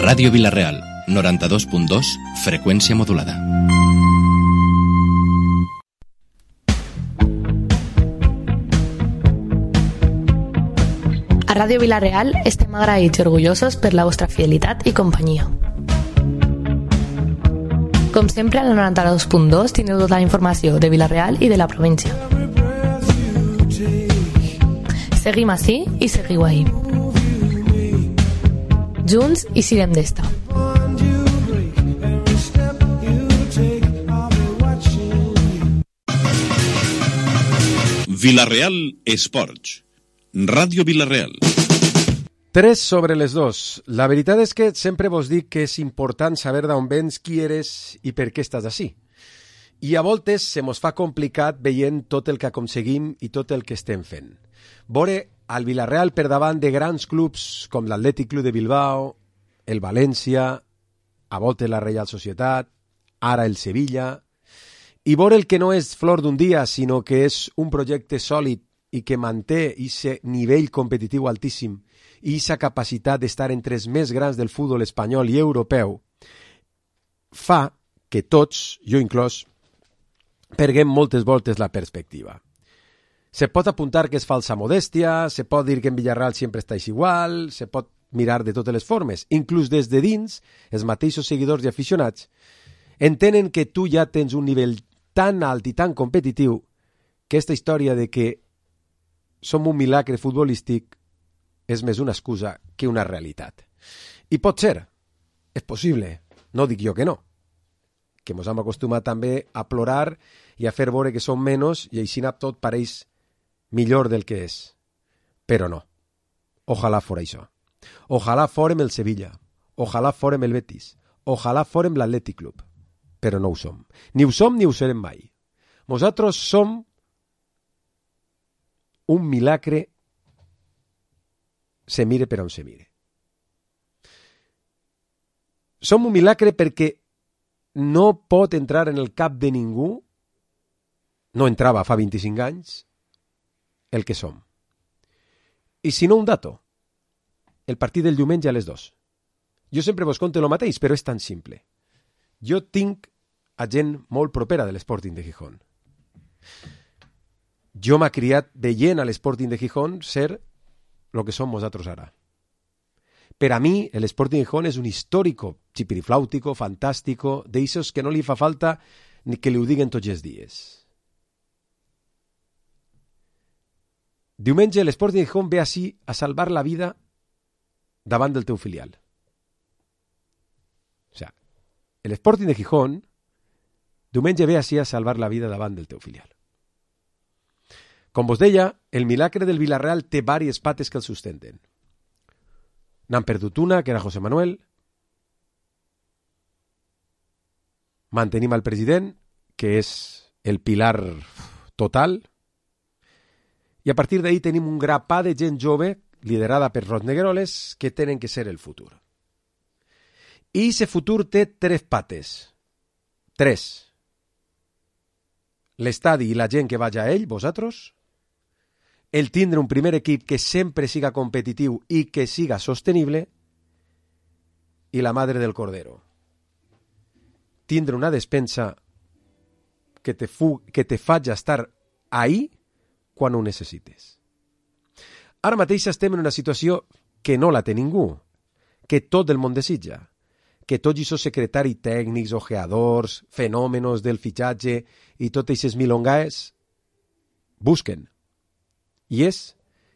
Ràdio Vila-real, 92.2, freqüència modulada. A Ràdio Vila-real estem agraïts i orgullosos per la vostra fidelitat i companyia. Com sempre, a la 92.2 tindreu tota la informació de Vila-real i de la província. Seguim ací i seguiu ahí. Junts i siguem d'esta. Vila-real Esports. Ràdio Vila-real. 3 sobre les 2. La veritat és que sempre vos dic que és important saber d'on vens, qui eres i per què estàs així. I a voltes se mos fa complicat veient tot el que aconseguim i tot el que estem fent. Veure al Vila-real per davant de grans clubs com l'Atlètic Club de Bilbao, el València, a voltes la Reial Societat, ara el Sevilla, i veure el que no és flor d'un dia, sinó que és un projecte sòlid i que manté aquest nivell competitiu altíssim i aquesta capacitat d'estar entre els més grans del futbol espanyol i europeu, fa que tots, jo inclòs, perguem moltes voltes la perspectiva. Se pot apuntar que és falsa modèstia, se pot dir que en Villarreal sempre estàs igual, se pot mirar de totes les formes. Inclús des de dins, els mateixos seguidors i aficionats entenen que tu ja tens un nivell tan alt i tan competitiu que aquesta història de que som un milagre futbolístic és més una excusa que una realitat. I pot ser, és possible, no dic jo que no, que ens hem acostumat també a plorar i a fer veure que som menys i així tot pareix millor del que és. Però no. Ojalà fora això. Ojalà fórem el Sevilla. Ojalà fórem el Betis. Ojalà fórem l'Atlètic Club. Però no ho som. Ni ho som ni ho serem mai. Nosaltres som un milagre se mire per on se mire. Som un milagre perquè no pot entrar en el cap de ningú, no entrava fa 25 anys, el que som. I si no un dato, el partit del diumenge a les 2. Jo sempre vos conto el mateix, però és tan simple. Jo tinc a gent molt propera de l'Sporting de Gijón. Jo m'ha criat veient a l'Sporting de Gijón ser el que som nosaltres ara. Per a mi, l'Sporting de Gijón és un històrico, chipiriflàutico, fantàstico, d'eixos que no li fa falta ni que li ho diguen tots els dies. Diumenge l'Sporting de Gijón ve així a salvar la vida davant del teu filial. O sigui, l'Sporting de Gijón diumenge ve així a salvar la vida davant del teu filial. Com vos deia, el milagre del Vila-real té diverses pates que el sustenten. N'han perdut una, que era José Manuel. Mantenim el president, que és el pilar total. I a partir d'ahí tenim un grapà de gent jove, liderada per Rosnegueroles, que tenen que ser el futur. I aquest futur té 3 pates. 3. L'estadi i la gent que vaja a ell, vosaltres. El tindre un primer equip que sempre siga competitiu i que siga sostenible. I la madre del cordero. Tindre una despensa que te faci estar ahí quan ho necessites. Ara mateix estem en una situació que no la té ningú, que tot el món desitja, que tots aquests secretaris tècnics, ojeadors, fenòmenos del fitxatge i totes aquestes milongaes busquen. I és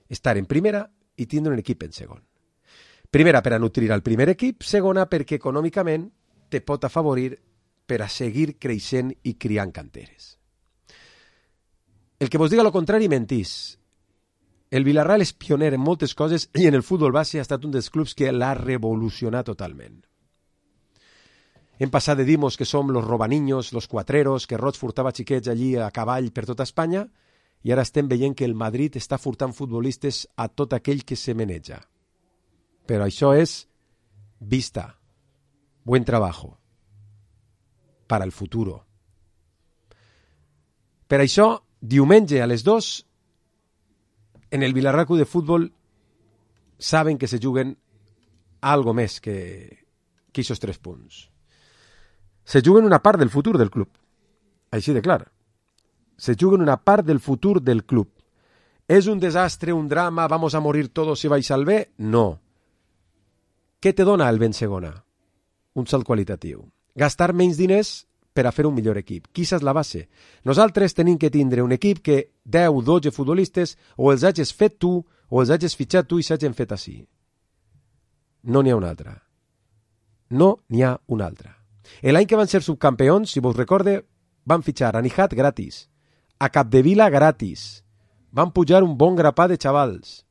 estar en primera i tindre un equip en segon. Primera, per a nutrir el primer equip. Segona, perquè econòmicament te pot afavorir per a seguir creixent i criant canteres. El que vos diga lo contrari mentís. El Vila-real és pioner en moltes coses i en el futbol base ha estat un dels clubs que l'ha revolucionat totalment. Hem passat de dir-nos que som los robaniños, los cuatreros, que Roig furtava xiquets allí a cavall per tota Espanya, i ara estem veient que el Madrid està furtant futbolistes a tot aquell que se meneja. Però això és vista, buen trabajo, para el futuro. Per això, diumenge a les 2, en el Vila-real Club de Futbol saben que se juguen algo més que que aquests 3 punts. Se juguen una part del futur del club. Així de clar. Se juguen una part del futur del club. ¿Es un desastre, un drama, vamos a morir todos si vais al B? No. Què te dona el ben segona? Un salt qualitatiu. Gastar menys diners per a fer un millor equip. Quina és la base? Nosaltres tenim que tindre un equip que 10, 12 futbolistes o els hagis fet tu o els hagis fitxat tu i s'hagin fet així. No n'hi ha una altra. No n'hi ha una altra. L'any que van ser subcampeons, si vos recorde, van fitxar a Nijat gratis, a Capdevila gratis, van pujar un bon grapà de xavals.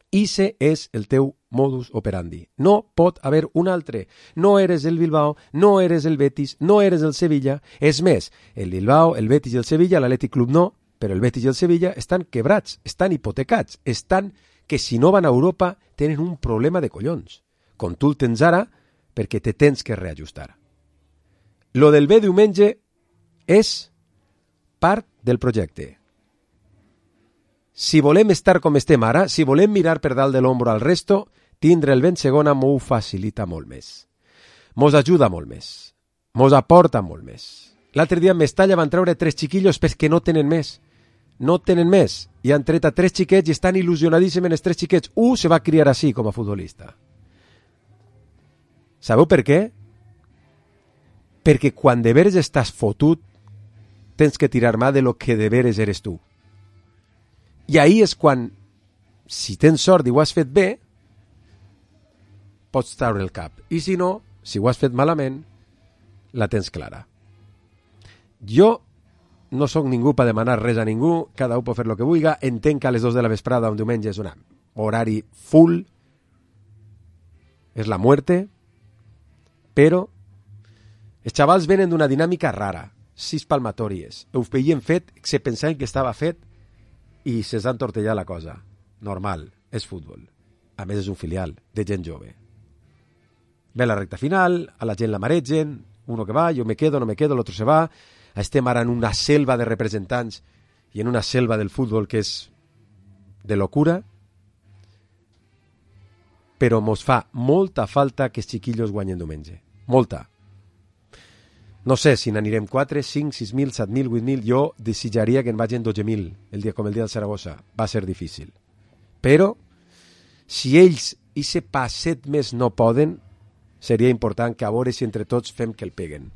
Ixe és el teu modus operandi. No pot haver un altre. No eres el Bilbao, no eres el Betis, no eres el Sevilla. És més, el Bilbao, el Betis i el Sevilla, l'Atlètic Club no, però el Betis i el Sevilla estan quebrats, estan hipotecats, estan que si no van a Europa tenen un problema de collons. Com tu el tens ara, perquè te tens que reajustar. Lo del B diumenge és part del projecte. Si volem estar com estem ara, si volem mirar per dalt de l'ombro al resto, tindre el vent segona m'ho facilita molt més. Mos ajuda molt més. Mos aporta molt més. L'altre dia en Mestalla van treure 3 xiquillos perquè no tenen més. No tenen més. I han tret a 3 xiquets i estan il·lusionadíssims en els 3 xiquets. Se va criar així com a futbolista. Sabeu per què? Perquè quan de veres estàs fotut, tens que tirar mà de lo que de veres eres tu. I ahí és quan, si tens sort i ho has fet bé, pots treure el cap. I si no, si ho has fet malament, la tens clara. Jo no sóc ningú per demanar res a ningú, cada un pot fer el que vulgui, entenc que a les 2 de la vesprada un diumenge és un horari full, és la muerte, però els xavals venen d'una dinàmica rara, 6 palmatòries, ho veien fet, se pensaven que estava fet, i se'ls ha entortellat la cosa. Normal, és futbol. A més, és un filial de gent jove. Ve la recta final, a la gent la maregen, uno que va, jo me quedo, no me quedo, l'altre se va. Estem ara en una selva de representants i en una selva del futbol que és de locura. Però mos fa molta falta que els xiquillos guanyen diumenge. Molta. No sé si n'anirem 4, 5, 6.000, 7.000, 8.000. Jo desitjaria que en vagin 12.000, com el dia del Saragossa. Va ser difícil. Però, si ells i se passet més no poden, seria important que a veure si entre tots fem que el peguen.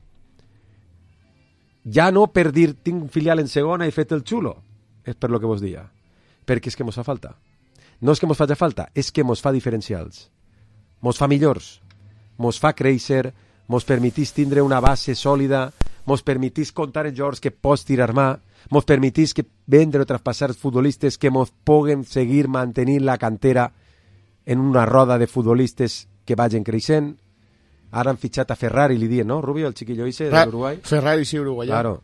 Ja no per dir tinc un filial en segona i fet el xulo, és per lo que vos dia. Perquè és que mos fa falta. No és que mos faci falta, és que mos fa diferencials. Mos fa millors. Mos fa créixer, mos permetís tindre una base sòlida, mos permetís comptar en jugadors que pots tirar mà, mos permetís que vendre o traspassar futbolistes que mos puguen seguir mantenint la cantera en una roda de futbolistes que vagin creixent. Ara han fitxat a Ferrari, li diuen, no, Rubio, el xiquillo ese de Uruguai? Ferrari, sí, uruguaià. Claro.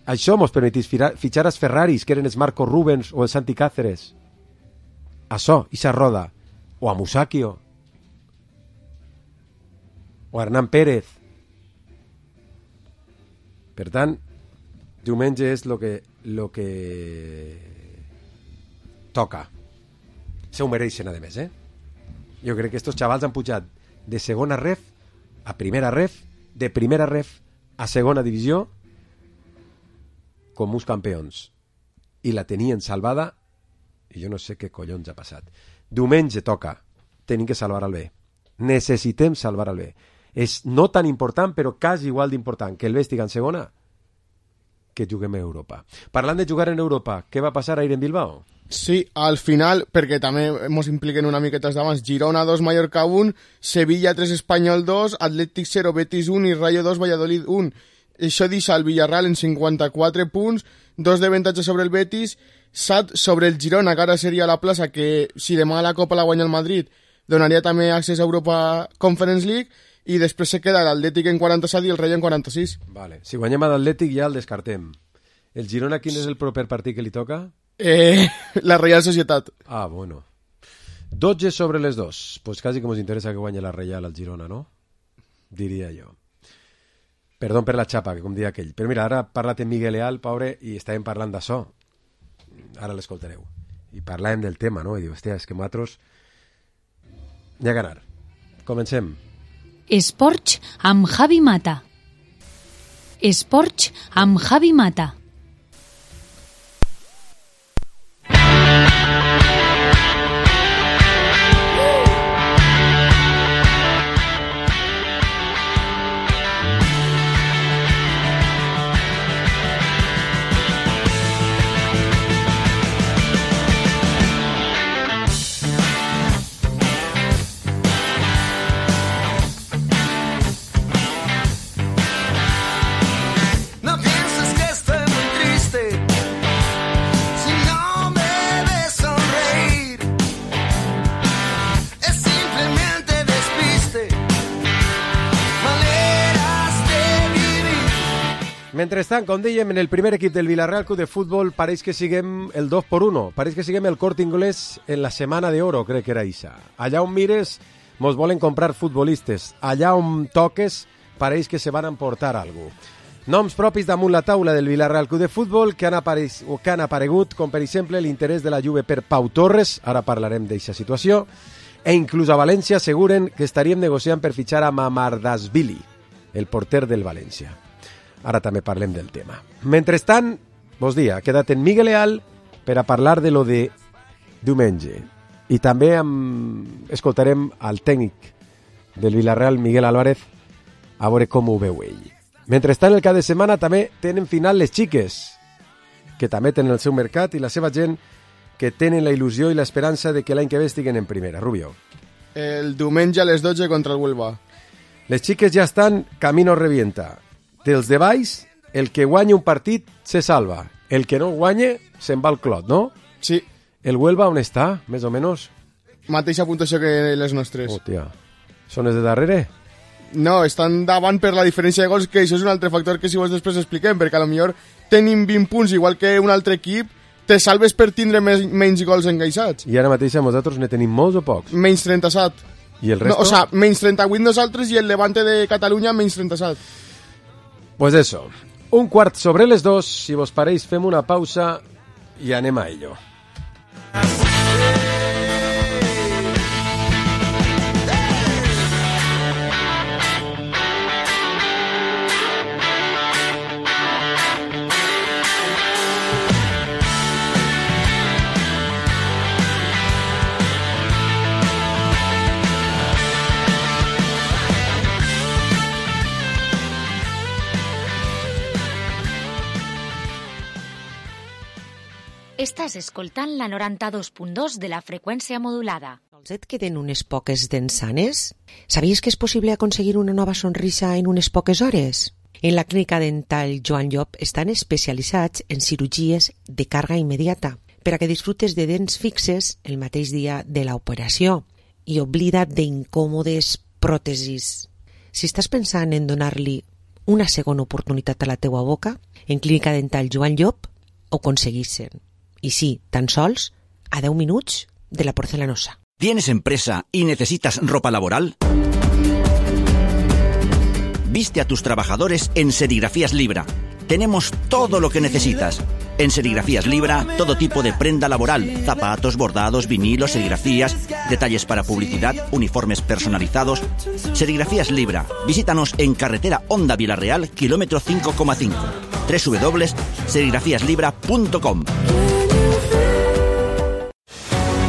Això mos permetís fitxar als Ferraris, que eren els Marco Rubens o el Santi Cáceres. Això, ixa roda. O a Musakio. O Hernán Pérez. Per tant, diumenge és lo que toca. Se ho mereixen, a més, Jo crec que estos xavals han pujat de segona ref a primera ref, de primera ref a segona divisió, com uns campions. I la tenien salvada, i jo no sé què collons ha passat. Diumenge toca. Tenim que salvar el bé. Necessitem salvar el bé. És no tan important, però quasi igual d'important que el bé estigui en segona que juguem a Europa. Parlant de jugar en Europa, què va passar ahir en Bilbao? Sí, al final, perquè també ens impliquen una miqueta d'abans, Girona 2, Mallorca 1, Sevilla 3, Espanyol 2, Atlètic 0, Betis 1 i Rayo 2, Valladolid 1. Això deixa el Villarreal en 54 punts, 2 d'avantatge sobre el Betis, 7 sobre el Girona, que ara seria la plaça que, si demà la Copa la guanya el Madrid, donaria també accés a Europa Conference League, i després se queda l'Atlètic en 47 i el Rayo en 46. Vale. Si guanyem a l'Atlètic ja el descartem. El Girona, quin és el proper partit que li toca? La Real Societat. Ah, bueno. 12 sobre les 2. Pues quasi que ens interessa que guanyi la Real al Girona, no? Diria jo. Perdó per la xapa, que com dia aquell. Però mira, ara ha parlat en Miguel Leal, pobre, i estàvem parlant d'això. Ara l'escoltareu. I parlàvem del tema, no? I diu, hòstia, és que nosaltres... N'hi ha que anar. Comencem. Esports amb Javi Mata. Esports amb Javi Mata. Mentrestant, com dèiem, en el primer equip del Villarreal Club de Futbol pareix que siguem el 2x1, pareix que siguem el Corte Inglés en la Semana de Oro, crec que era Isa. Allà on mires, mos volen comprar futbolistes. Allà on toques, pareix que se van emportar alguna cosa. Noms propis damunt la taula del Villarreal Club de Futbol que han aparegut, com per exemple l'interès de la Juve per Pau Torres, ara parlarem d'aquesta situació, e inclús a València asseguren que estaríem negociant per fitxar a Mamardashvili, el porter del València. Ara també parlem del tema. Mentrestant, vos dia, ha quedat en Miguel Leal per a parlar de lo de diumenge. I també escoltarem al tècnic del Villarreal, Miguel Álvarez, a veure com ho veu ell. Mentrestant, el cap de setmana també tenen final les xiques, que també tenen el seu mercat i la seva gent que tenen la il·lusió i l'esperança de que l'any que ve estiguen en primera. Rubio. El diumenge a les 12 contra el Huelva. Les xiques ja estan camino revienta. Dels de baix, el que guanya un partit se salva. El que no guanya se'n va al clot, no? Sí. El Huelva on està, més o menys? Mateixa puntuació que les nostres. Hòstia, són els de darrere? No, estan davant per la diferència de gols, que això és un altre factor que si vos després expliquem, perquè a lo millor tenim 20 punts, igual que un altre equip, te salves per tindre menys gols encaixats. I ara mateix nosaltres ne tenim molts o pocs? Menys 37. I el resto? No, o sea, menys 38 nosaltres i el Levante de Catalunya menys 37. Pues eso, 1:15 si vos pareix fem una pausa i anem a ello. Estàs escoltant la 92.2 de la freqüència modulada. Sols et queden unes poques dents sanes? Sabies que és possible aconseguir una nova sonrisa en unes poques hores? En la clínica dental Joan Llop estan especialitzats en cirurgies de càrrega immediata per a que disfrutes de dents fixes el mateix dia de l'operació i oblida't d'incòmodes pròtesis. Si estàs pensant en donar-li una segona oportunitat a la teua boca, en clínica dental Joan Llop ho aconseguissin. Y sí, tan sols a 10 minutos de la porcelanosa. ¿Tienes empresa y necesitas ropa laboral? Viste a tus trabajadores en Serigrafías Libra. Tenemos todo lo que necesitas. En Serigrafías Libra, todo tipo de prenda laboral, zapatos, bordados, vinilos, serigrafías, detalles para publicidad, uniformes personalizados. Serigrafías Libra. Visítanos en carretera Honda Villarreal, kilómetro 5,5. www.serigrafiaslibra.com.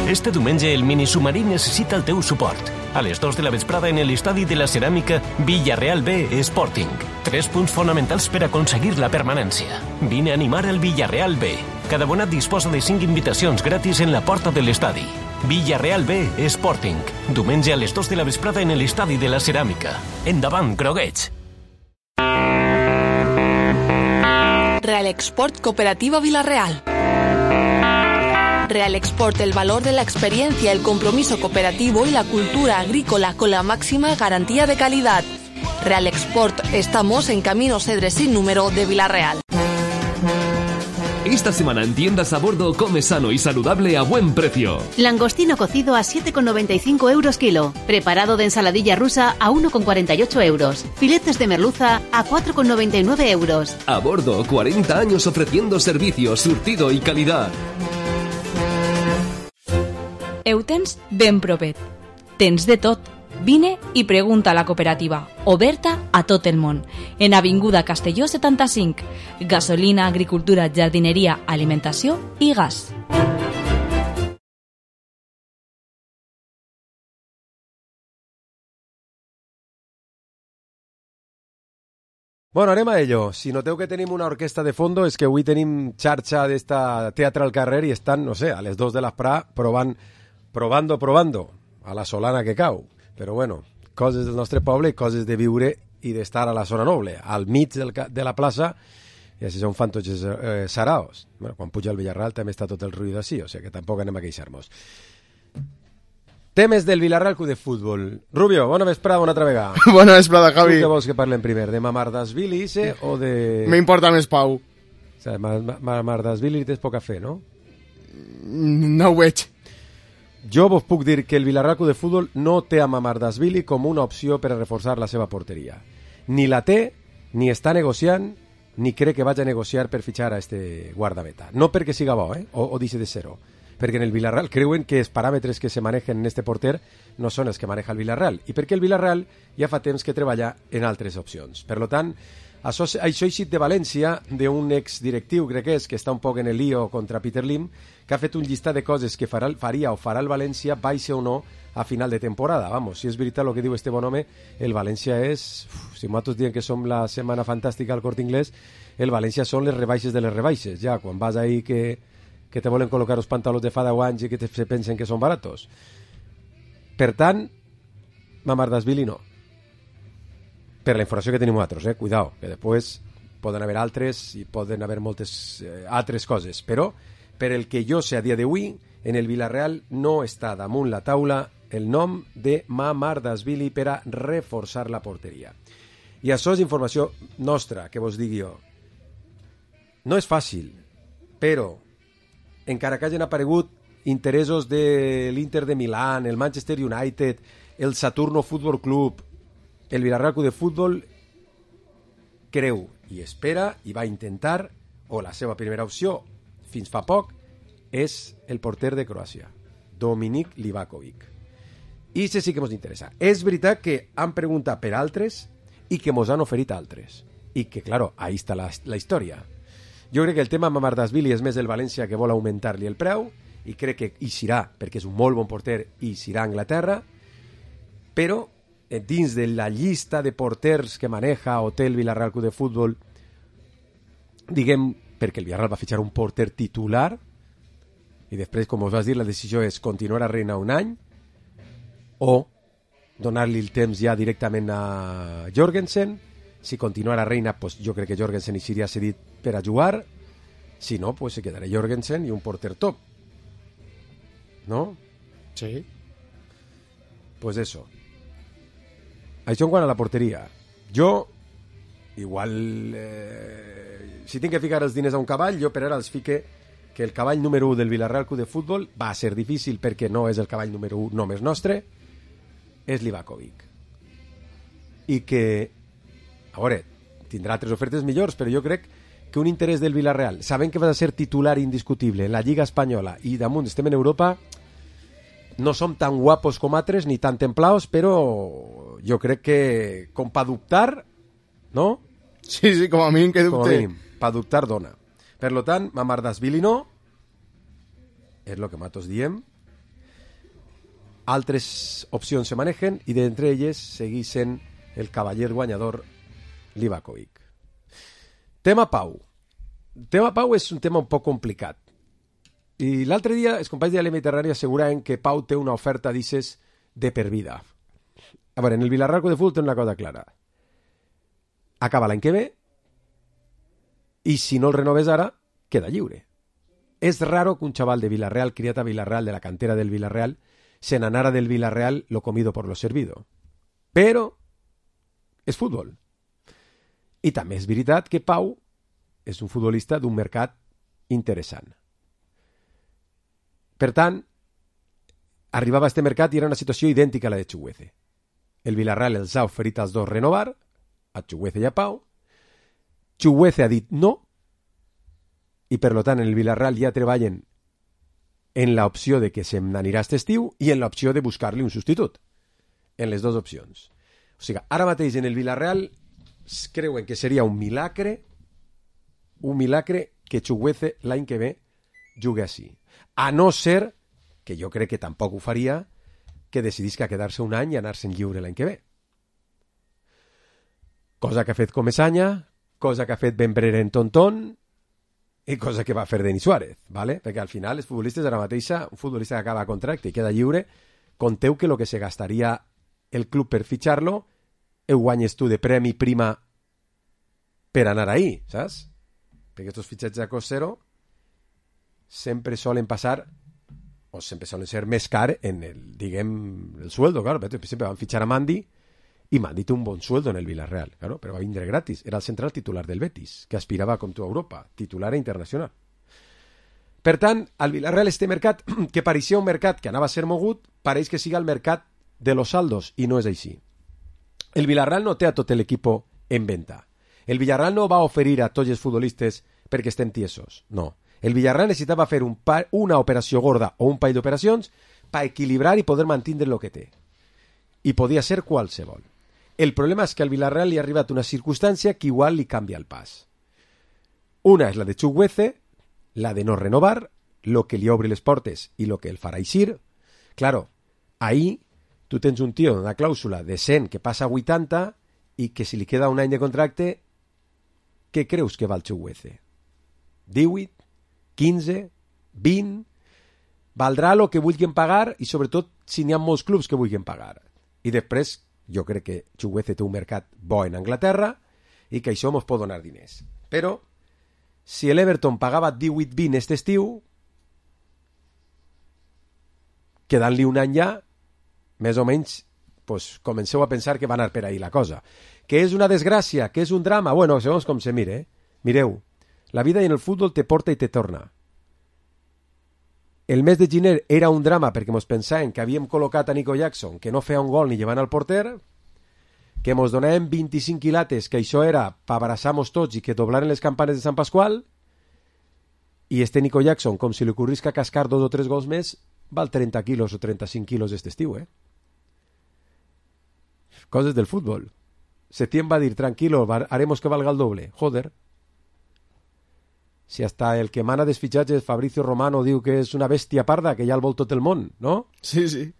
Este diumenge el minisubmarí necessita el teu suport. A les 2 de la vesprada en l'estadi de la ceràmica Villarreal B Sporting. 3 punts fonamentals per aconseguir la permanència. Vine a animar el Villarreal B. Cada abonat disposa de 5 invitacions gratis en la porta de l'estadi. Villarreal B Sporting. Diumenge a les 2 de la vesprada en l'estadi de la ceràmica. Endavant, groguets! Real Export Cooperativa Villarreal. Real Export, el valor de la experiencia, el compromiso cooperativo y la cultura agrícola con la máxima garantía de calidad. Real Export, estamos en Camino Cedres sin número de Villarreal. Esta semana en tiendas a bordo come sano y saludable a buen precio. Langostino cocido a 7,95 euros kilo. Preparado de ensaladilla rusa a 1,48 euros. Filetes de merluza a 4,99 euros. A bordo, 40 años ofreciendo servicio, surtido y calidad. Ho tens ben propet. Tens de tot. Vine i pregunta a la cooperativa, oberta a tot el món. En Avinguda Castelló 75. Gasolina, agricultura, jardineria, alimentació i gas. Bueno, anem a ello. Si noteu que tenim una orquesta de fondo és que avui tenim xarxa d'esta teatre al carrer i estan, no sé, a les 2 de l'asprà provando a la solana que cau. Però bueno, coses del nostre poble i coses de viure i d'estar a la zona noble, al mig de la plaça, i així són fan tots saraos. Bueno, quan puja el Villarreal també està tot el ruïdo així, o sigui que tampoc anem a queixar-nos. Temes del Villarreal Club de Futbol. Rubio, bona vesprada una altra vegada. Bona vesprada, Javi. Tu què vols que parlem primer? De Mamardashvili o de... M'importa més Pau. O sigui, Mamardashvili tens poca fe, no? No ho veig. Jo vos puc dir que el Villarreal Club de Futbol no té a Mamardashvili com una opció per a reforçar la seva porteria. Ni la té, ni està negociant, ni crec que vagi a negociar per fitxar a este guardameta. No perquè siga bo, o deixi de ser-ho. Perquè en el Villarreal creuen que els paràmetres que se manejen en este porter no són els que maneja el Villarreal, i perquè el Villarreal ja fa temps que treballa en altres opcions. Per tant, això ha eixit de València d'un exdirectiu, crec que està un poc en el lío contra Peter Lim, que ha fet un llistat de coses que faria o farà el València, baixe o no, a final de temporada. Vamos, si és veritat el que diu este bon home, el València és... Si nosaltres diem que som la setmana fantàstica al Corte Inglés, el València són les rebaixes de les rebaixes. Ja, quan vas ahí que te volen col·locar els pantalons de fa 10 anys i que se pensen que són baratos. Per tant, Mamardashvili no. Per la informació que tenim nosaltres, cuidao, que després poden haver altres i poden haver moltes altres coses, però per el que jo sé a dia d'avui, en el Villarreal no està damunt la taula el nom de Mamardashvili per a reforçar la porteria. I això és informació nostra, que vos digui jo. No és fàcil, però encara que hagin aparegut interessos de l'Inter de Milán, el Manchester United, el Saturno Futbol Club, el Villarreal Club de Futbol creu i espera i va intentar, o la seva primera opció fins fa poc, és el porter de Croàcia, Dominik Livakovic. I això sí que ens interessa. És veritat que han preguntat per altres i que ens han oferit altres. I que, claro, ahí està la història. Jo crec que el tema Mamardashvili és més el València que vol augmentar-li el preu i crec que hi serà, perquè és un molt bon porter i serà a Anglaterra, però dins de la llista de porters que maneja o té el Villarreal Club de Futbol, diguem, perquè el Villarreal va fitxar un porter titular i després, com us vas dir, la decisió és continuar a Reina un any o donar-li el temps ja directament a Jorgensen. Si continuar a Reina, pues jo crec que Jorgensen hi seria cedit per a jugar. Si no, pues se quedarà Jorgensen i un porter top. ¿No? Sí. Pues eso. Això en quant a la porteria. Jo, igual, si tinc que ficar els diners a un cavall, jo per ara els fique que el cavall número 1 del Villarreal Club de Futbol va ser difícil perquè no és el cavall número 1 només nostre, és Livakovic. I que, a veure, tindrà altres ofertes millors, però jo crec que un interès del Villarreal, sabent que vas a ser titular indiscutible en la Lliga Espanyola i damunt estem en Europa, no som tan guapos com altres ni tan templaos, però jo crec que com pa dubtar, no? Sí, com a mínim que dubte. Com a mínim, pa dubtar dona. Per lo tant, Mamardashvili no, és el que nosaltres diem. Altres opcions se manejen i d'entre elles segueix sent el cavaller guanyador Livakovic. Tema Pau. Tema Pau és un tema un poc complicat. I l'altre dia els companys de la Mediterrània asseguraven que Pau té una oferta, dices, de per vida. A veure, en el Villarreal Club de Futbol té una cosa clara. Acaba l'any que ve i si no el renoves ara, queda lliure. És raro que un xaval de Villarreal, criat a Villarreal, de la cantera del Villarreal, se n'anara del Villarreal lo comido por lo servido. Però és futbol. I també és veritat que Pau és un futbolista d'un mercat interessant. Per tant, arribava a aquest mercat i era una situació idèntica a la de Chukwueze. El Villarreal els ha oferit als dos renovar, a Chukwueze i a Pau. Chukwueze ha dit no, i per tant en el Villarreal ja treballen en l'opció de que se n'anirà aquest estiu i en l'opció de buscar-li un substitut. en les dues opcions. O sigui, ara mateix en el Villarreal creuen que seria un milagre que Chukwueze l'any que ve jugui així. A no ser, que jo crec que tampoc ho faria, que decidisca quedar-se un any i anar-se'n lliure l'any que ve. Cosa que ha fet Comesaña, cosa que ha fet Ben Brera en Tonton i cosa que va fer Denis Suárez, ¿vale? Perquè al final els futbolistes ara mateixa, un futbolista que acaba contracte i queda lliure, conteu que el que se gastaria el club per fitxar-lo ho guanyes tu de premi prima per anar ahí, saps? Perquè aquests fitxatges a cost zero sempre solen passar o sempre solen ser més car en el, diguem, el sueldo, claro. Per exemple, van fitxar a Mandi i Mandi té un bon sueldo en el Villarreal, claro, però va vindre gratis. Era el central titular del Betis, que aspirava com tu a Europa, titular e internacional. Per tant, al Villarreal este mercat, que pareixia un mercat que anava a ser mogut, pareix que siga el mercat de los saldos, i no és així. El Villarreal no té a tot l'equip en venda. El Villarreal no va oferir a tots els futbolistes perquè estem tiesos, no. El Villarreal necessitava fer una operació gorda o un parell d'operacions per equilibrar i poder mantenir el que té. I podia ser qualsevol. El problema és que al Villarreal li ha arribat una circumstància que igual li canvia el pas. Una és la de Chukwueze, la de no renovar, lo que li obri les portes i lo que el farà eixir. Claro, ahí tu tens un tio una clàusula de 100 que passa a 80 i que si li queda un any de contracte, què creus que val Chukwueze? 18, 15, 20... Valdrà el que vulguin pagar i sobretot si n'hi ha molts clubs que vulguin pagar. I després, jo crec que Chukwueze té un mercat bo en Anglaterra i que això mos pot donar diners. Però, si l'Everton pagava 18-20 aquest estiu, quedant-li un any ja, més o menys, pues, comenceu a pensar que va anar per ahí la cosa. Que és una desgràcia, que és un drama, bueno, segons com se mire. Mireu, la vida en el futbol te porta i te torna. El mes de gener era un drama perquè mos pensàvem que havíem col·locat a Nico Jackson, que no feia un gol ni llevant al porter, que mos donàvem 25 quilates, que això era per abraçar-nos tots i que doblaren les campanes de Sant Pasqual, i este Nico Jackson, com si li ocorrisca cascar 2 o 3 gols més, val 30 quilos o 35 quilos este estiu, Coses del fútbol. Setién va dir, tranquilo, haremos que valga el doble. Joder. Si hasta el que mana dels fitxatges, Fabricio Romano, diu que és una bèstia parda, que ja el vol tot el món, no? Sí, sí.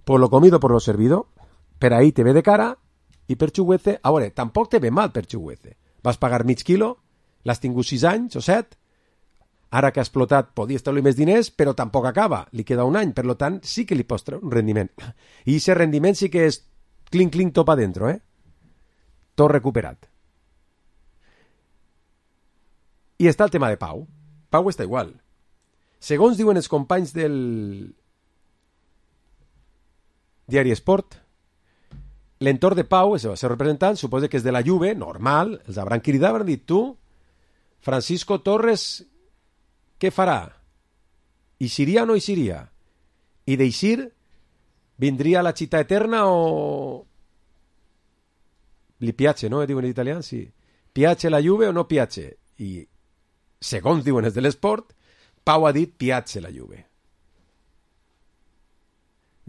Por lo comido, por lo servido. Per ahí te ve de cara, i per Chukwueze, a veure, tampoc te ve mal per Chukwueze. Vas pagar mig quilo, l'has tingut 6 anys o 7, ara que ha explotat podies treure més diners, però tampoc acaba, li queda un any, per lo tant sí que li pots treure un rendiment. I aquest rendiment sí que és clink, top adentro, tot recuperat. I està el tema de Pau. Pau està igual. Segons diuen els companys del diari Esport, l'entorn de Pau, el seu representant, suposa que és de la Juve, normal, els hauran cridat, hauran dit, tu, Francisco Torres, què farà? Eixiria o no eixiria? I d'eixir, vindria a la città eterna o... Li piace, no? Diuen en italià, sí. Piace la Juve o no piace? I segons diuen els de l'Esport, Pau ha dit piace la Juve.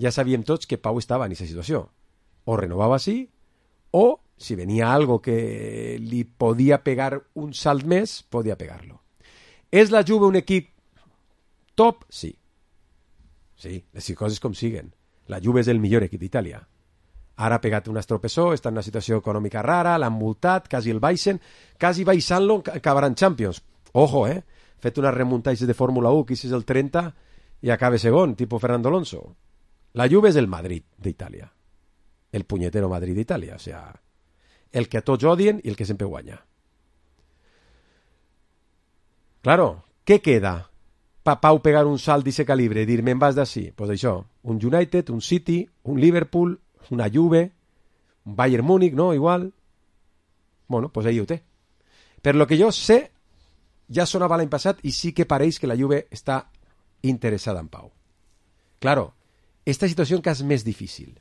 Ja sabíem tots que Pau estava en aquesta situació. O renovava així, o si venia algo que li podia pegar un salt més, podia pegar-lo. És la Juve un equip top? Sí. Sí, les coses com siguen. La Juve és el millor equip d'Itàlia. Ara ha pegat un estropessó, està en una situació econòmica rara, l'han multat, quasi el baixen, quasi baixant-lo acabaran Champions. Ojo, fet unes remuntatges de Fórmula 1, que és el 30 i acaba segon, tipus Fernando Alonso. La Juve és el Madrid d'Itàlia. El punyetero Madrid d'Itàlia, o sea, el que a tots odien i el que sempre guanya. Claro, què queda? Pa Pau pegar un salt d'aquest calibre i dir, me'n vas d'ací? Pues això, un United, un City, un Liverpool, una Juve, un Bayern Múnich, no? Igual. Bueno, pues ahí ho té. Per lo que jo sé, ja sonava l'any passat i sí que pareix que la Juve està interessada en Pau. Claro, esta situació encara és més difícil.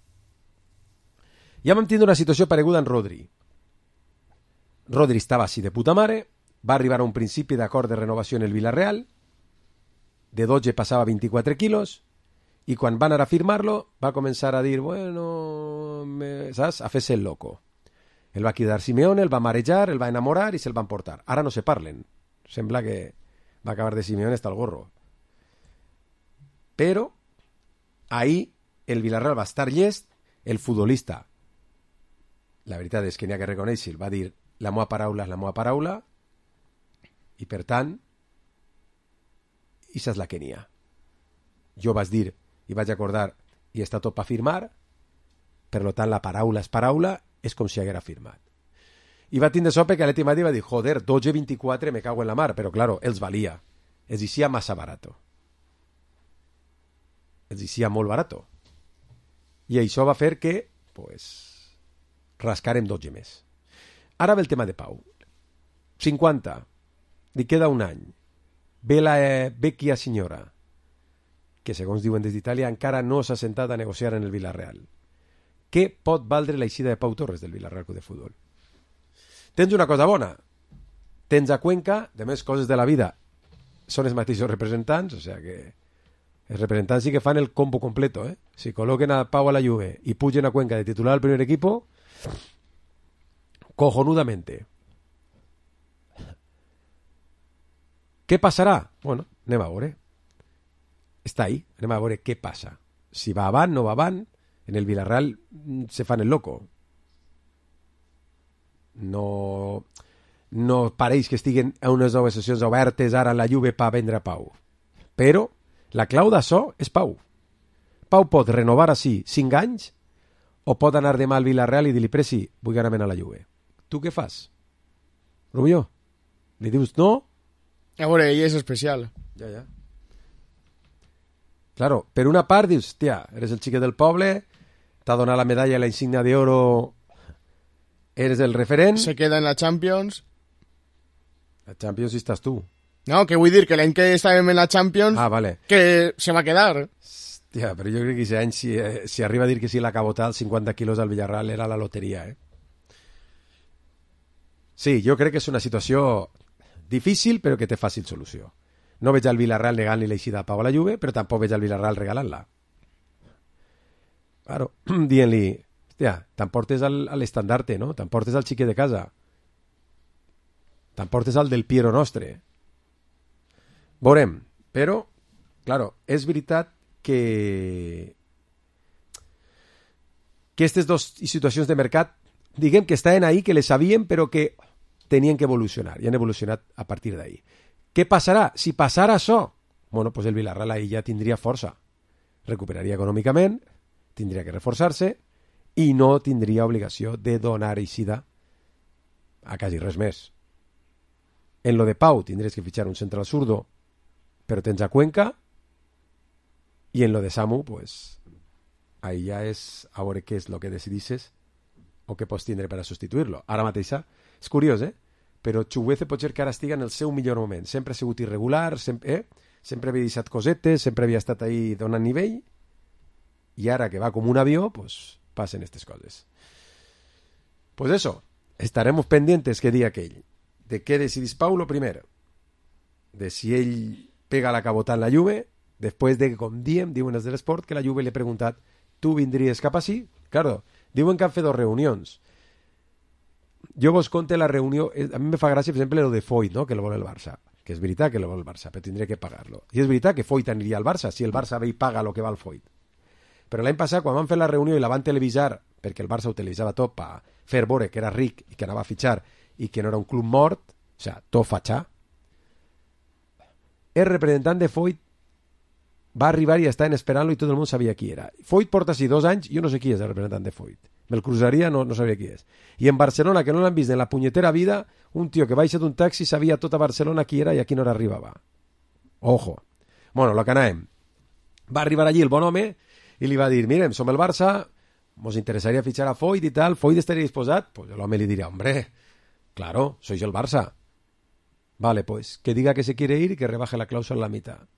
Ja vam tindre una situació pareguda en Rodri. Rodri estava així de puta mare, va arribar a un principi d'acord de renovació en el Villarreal, de 12 passava a 24 quilos, I quan van anar a firmar-lo, va començar a dir, saps? A fer-se el loco. El va cridar Simeone, el va marejar, el va enamorar i se'l van portar. Ara no se parlen. Sembla que va acabar de Simeone hasta el gorro. Però ahí el Villarreal va estar llest, el futbolista, la veritat és que n'hi ha que reconèixer, va dir la meva paraula és la meva paraula, i per tant, això és la que n'hi ha. Jo vaig dir i vaig acordar i està tot per firmar, per tant la paraula és paraula, és com si haguera firmat. I va tindre sope que l'Atleti Madrid va dir, joder, 12-24 me cago en la mar, però claro, els valia. Els deixia massa barato. Els deixia molt barato. I això va fer que, rascarem 12 més. Ara ve el tema de Pau. 50. Li queda un any. Ve la vecchia signora, que segons diuen des d'Itàlia encara no s'ha sentat a negociar en el Villarreal. Què pot valdre l'eixida de Pau Torres del Villarreal Club de Futbol? Tens una cosa bona. Tens a Cuenca, de més coses de la vida, són els mateixos representants, o sigui que els representants sí que fan el combo completo, eh? Si col·loquen a Pau a la Juve i pugen a Cuenca de titular al primer equipo, cojonudamente. Què passarà? Bueno, anem a veure. Està ahí, anem a veure què passa. Si va avant, no va avant, en el Villarreal se fan el loco. No pareix que estiguen a unes noves sessions obertes ara a la Juve per vendre Pau. Però la clau d'això és Pau. Pau pot renovar així 5 anys o pot anar demà al Villarreal i dir-li Presi, vull anar a la Juve. Tu què fas? Rubió? Li dius no? A veure, ell és especial. Ja. Claro, per una part dius, tia, eres el xiquet del poble, t'ha donat la medalla i la insignia d'oro, eres el referent. Se queda en la Champions. La Champions hi estàs tu. No, que vull dir que l'any que estàvem en la Champions, vale. Que se va quedar. Hòstia, però jo crec que aquest any, si arriba a dir que sí la cabotada, els 50 quilos al Villarreal era la loteria, eh? Sí, jo crec que és una situació difícil, però que té fàcil solució. No veig al Villarreal negant-li l'eixida a Pau a la Juve, però tampoc veig al Villarreal regalant-la. Claro, dient-li, hòstia, t'emportes a l'estandarte, no? T'emportes al xiquet de casa. T'emportes al del Piero Nostre. Veurem, però, claro, és veritat que aquestes dues situacions de mercat, diguem que estaven ahí, que les sabíem, però que tenien que evolucionar, i han evolucionat a partir d'ahí. Què passarà? Si passara això, bueno, pues el Villarreal ahí ja tindria força. Recuperaria econòmicament, tindria que reforçar-se i no tindria obligació de donar eixida a quasi res més. En lo de Pau tindries que fitxar un central zurdo, però tens a Cuenca, i en lo de Samu, pues, ahí ja és a veure què és el que decidisses o què pots tindre per a substituir-lo. Ara mateixa, és curiós, però Chukwueze pot ser que ara estigui en el seu millor moment. Sempre ha sigut irregular, sempre havia deixat cosetes, sempre havia estat ahí donant nivell, i ara que va com un avió, pues passen aquestes coses. Pues eso, estaremos pendientes que diga aquell. De què decidís Pau, lo primer? De si ell pega la cabota en la Juve, després de que, com diuen els de l'esport, que la Juve li ha preguntat, tu vindries cap així? Claro, diuen que han fet 2 reunions. Jo vos conte la reunió, a mi me fa gràcia, per exemple, lo de Foyt, no? Que lo vol el Barça, que és veritat que lo vol el Barça, però tindria que pagar-lo. I és veritat que Foyt aniria al Barça, si el Barça ve i paga lo que val Foyt. Però l'any passat, quan van fer la reunió i la van televisar, perquè el Barça utilitzava tot per fer veure que era ric i que anava a fitxar i que no era un club mort, o sigui, tot fatxà, el representant de Foyt va arribar i estaven esperant-lo i tot el món sabia qui era. Foyt porta així 2 anys, jo no sé qui és el representant de Foyt. Me'l cruzaria, no sabia qui és. I en Barcelona, que no l'han vist en la punyetera vida, un tio que baixa d'un taxi sabia tot a Barcelona qui era i a quina hora arribava. Ojo. Bueno, lo que anàvem. Va arribar allí el bon home i li va dir, mirem, som el Barça, mos interessaria fitxar a Foyt i tal, Foyt estaria disposat? Pues l'home li diria, hombre, claro, sois el Barça. Vale, pues, que diga que se quiere ir y que rebaje la cláusula a la mitad.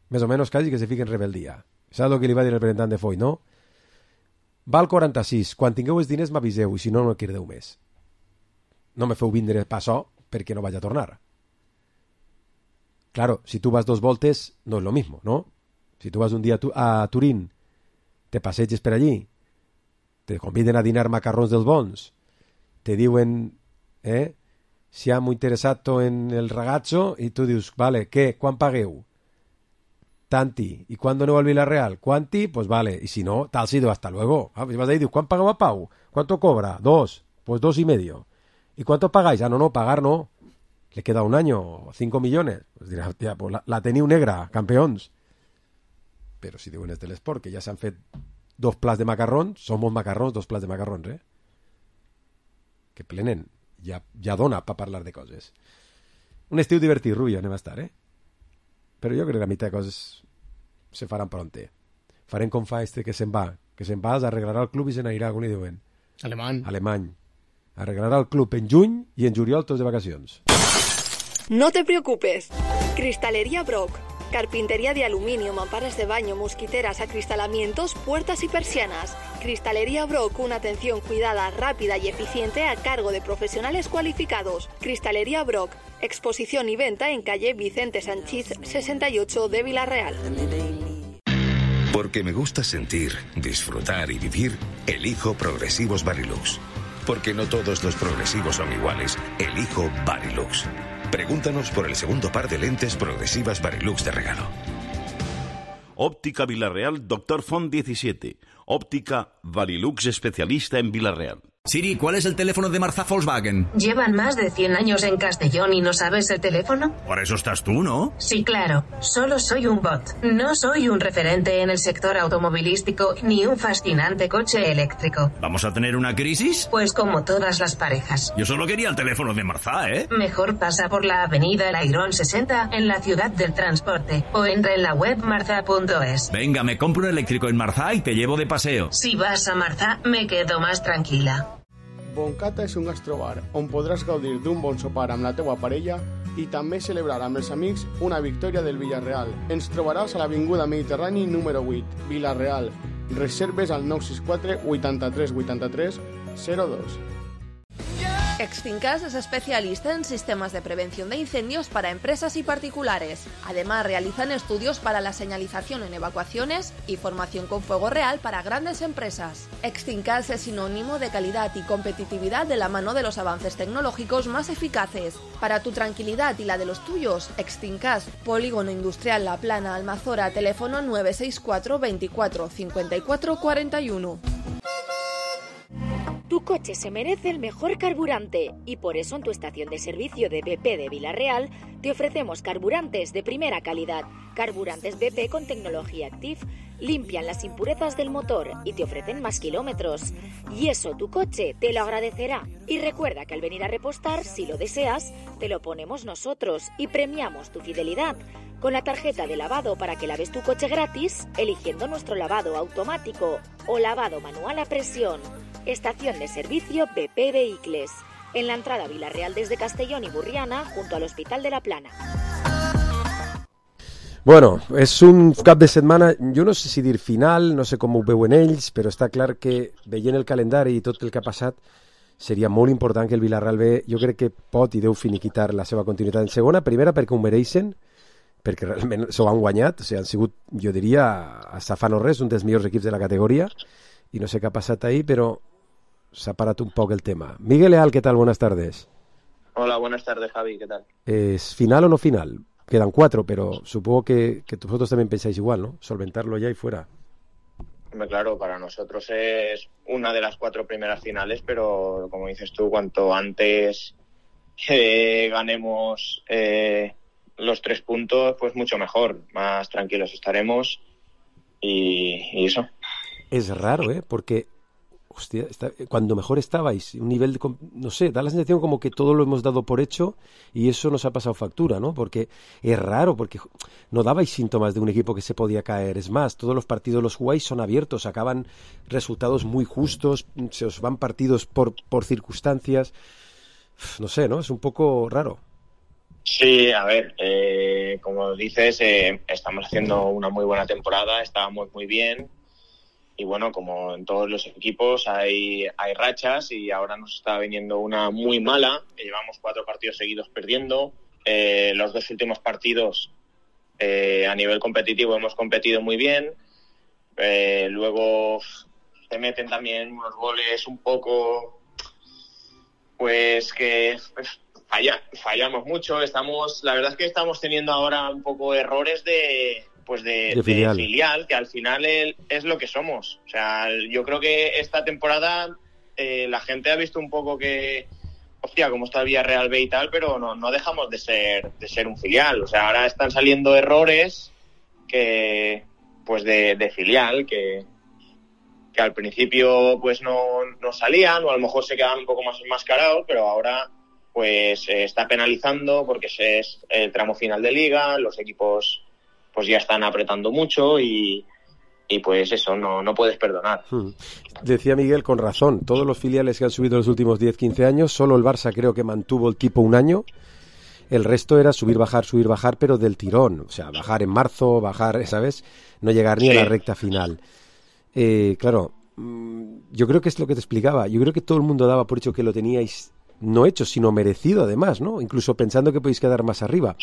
Més o menys quasi que se fique en rebeldía. Saps el que li va dir el representant de Foyt, no? Val 46, quan tingueu els diners m'aviseu i si no, no crideu més. No me feu vindre pa això perquè no vaig a tornar. Claro, si tu vas 2 voltes no és lo mismo, ¿no? Si tú vas un día a Turín, te passeges per allí, te conviden a dinar macarrons dels bons, te diuen, siamo interessato en el ragazzo, i tu dius, vale, què, quan pagueu? Tanti. ¿Y cuándo no va al Villarreal? ¿Cuánti? Pues vale. Y si no, tal sido, hasta luego. Ah, pues vas ahí, dices, ¿cuánto pagaba Pau? ¿Cuánto cobra? 2. Pues 2,5. ¿Y cuánto pagáis? Ah, no, pagar no. Le queda un año, 5 millones. Pues dirás, hostia, pues la teniu negra, campeons. Però si diuen és de l'esport, que ja s'han fet 2 plats de macarrons, som molts macarrons, 2 plats de macarrons, que plenen. Ja dona per parlar de coses. Un estiu divertit, Rubio, anem a estar, Però jo crec que la meitat de coses se faran pronte. Farem com fa que se'n va, arreglarà el club i se n'anirà, com li diuen? Alemany. Arreglarà el club en juny i en juliol tots de vacacions. No te preocupes. Cristalería Brock. Carpintería de aluminio, mamparas de baño, mosquiteras, acristalamientos, puertas y persianas. Cristalería Brock, una atención cuidada, rápida y eficiente a cargo de profesionales cualificados. Cristalería Brock, exposición y venta en calle Vicente Sanchís 68 de Villarreal. Porque me gusta sentir, disfrutar y vivir, elijo Progresivos Varilux. Porque no todos los progresivos son iguales, elijo Varilux. Pregúntanos por el segundo par de lentes progresivas Varilux de regalo. Óptica Villarreal, Dr. Font 17. Óptica Varilux, especialista en Villarreal. Siri, ¿cuál es el teléfono de Marzá Volkswagen? ¿Llevan más de 100 años en Castellón y no sabes el teléfono? Por eso estás tú, ¿no? Sí, claro. Solo soy un bot. No soy un referente en el sector automovilístico ni un fascinante coche eléctrico. ¿Vamos a tener una crisis? Pues como todas las parejas. Yo solo quería el teléfono de Marzá, Mejor pasa por la avenida Lairón 60 en la ciudad del transporte o entra en la web marza.es. Venga, me compro un eléctrico en Marzá y te llevo de paseo. Si vas a Marzá, me quedo más tranquila. Boncata és un gastrobar on podràs gaudir d'un bon sopar amb la teua parella i també celebrar amb els amics una victòria del Villarreal. Ens trobaràs a l'Avinguda Mediterrani número 8, Villarreal. Reserves al 964 83 83 02. Extincas es especialista en sistemas de prevención de incendios para empresas y particulares. Además, realizan estudios para la señalización en evacuaciones y formación con fuego real para grandes empresas. Extincas es sinónimo de calidad y competitividad de la mano de los avances tecnológicos más eficaces. Para tu tranquilidad y la de los tuyos, Extincas, Polígono Industrial La Plana, Almazora, teléfono 964 24 54 41. Tu coche se merece el mejor carburante y por eso en tu estación de servicio de BP de Villarreal te ofrecemos carburantes de primera calidad. Carburantes BP con tecnología Active limpian las impurezas del motor y te ofrecen más kilómetros. Y eso tu coche te lo agradecerá. Y recuerda que al venir a repostar, si lo deseas, te lo ponemos nosotros y premiamos tu fidelidad con la tarjeta de lavado para que laves tu coche gratis eligiendo nuestro lavado automático o lavado manual a presión. Estación de servicio BP Vehicles, en la entrada a Villarreal desde Castellón y Burriana, junto al Hospital de la Plana. Bueno, és un cap de setmana, jo no sé si dir final, no sé com ho veuen ells, però està clar que veient el calendari i tot el que ha passat, seria molt important que el Villarreal B, jo crec que pot i deu finiquitar la seva continuïtat en segona, primera perquè ho mereixen, perquè realment s'ho han guanyat, o sigui, han sigut, jo diria, hasta fa no res, un dels millors equips de la categoria, i no sé què ha passat ahí, però s'ha parat un poc el tema. Miguel Leal, ¿qué tal? Buenas tardes. Hola, buenas tardes, Javi, ¿qué tal? ¿Es final o no final? Quedan 4, pero supongo que vosotros también pensáis igual, ¿no? Solventarlo ya y fuera. Hombre, claro, para nosotros es una de las 4 primeras finales, pero como dices tú, cuanto antes ganemos los 3 puntos, pues mucho mejor, más tranquilos estaremos y eso. Es raro, porque hostia, cuando mejor estabais, un nivel de, no sé, da la sensación como que todo lo hemos dado por hecho y eso nos ha pasado factura, ¿no? Porque es raro, porque no dabais síntomas de un equipo que se podía caer. Es más, todos los partidos los jugáis son abiertos, acaban resultados muy justos, se os van partidos por circunstancias. No sé, ¿no? Es un poco raro. Sí, a ver, como dices, estamos haciendo una muy buena temporada, estábamos muy bien. Y bueno, como en todos los equipos hay rachas y ahora nos está viniendo una muy mala, que llevamos 4 partidos seguidos perdiendo. Los 2 últimos partidos A nivel competitivo hemos competido muy bien. Luego te meten también unos goles un poco, pues que fallamos mucho. La verdad es que estamos teniendo ahora un poco errores de filial, que al final es lo que somos. O sea, yo creo que esta temporada la gente ha visto un poco que, hostia, cómo está el Villarreal B y tal, pero no dejamos de ser un filial. O sea, ahora están saliendo errores que, pues de filial, que al principio pues no salían, o a lo mejor se quedaban un poco más enmascarados, pero ahora pues se está penalizando porque es el tramo final de liga, los equipos pues ya están apretando mucho y pues eso, no puedes perdonar. Decía Miguel con razón, todos los filiales que han subido en los últimos 10-15 años, solo el Barça creo que mantuvo el tipo un año, el resto era subir, bajar, pero del tirón, o sea, bajar en marzo, bajar, ¿sabes? No llegar ni a la recta final. Claro, yo creo que es lo que te explicaba, yo creo que todo el mundo daba por hecho que lo teníais no hecho, sino merecido además, ¿no? Incluso pensando que podéis quedar más arriba.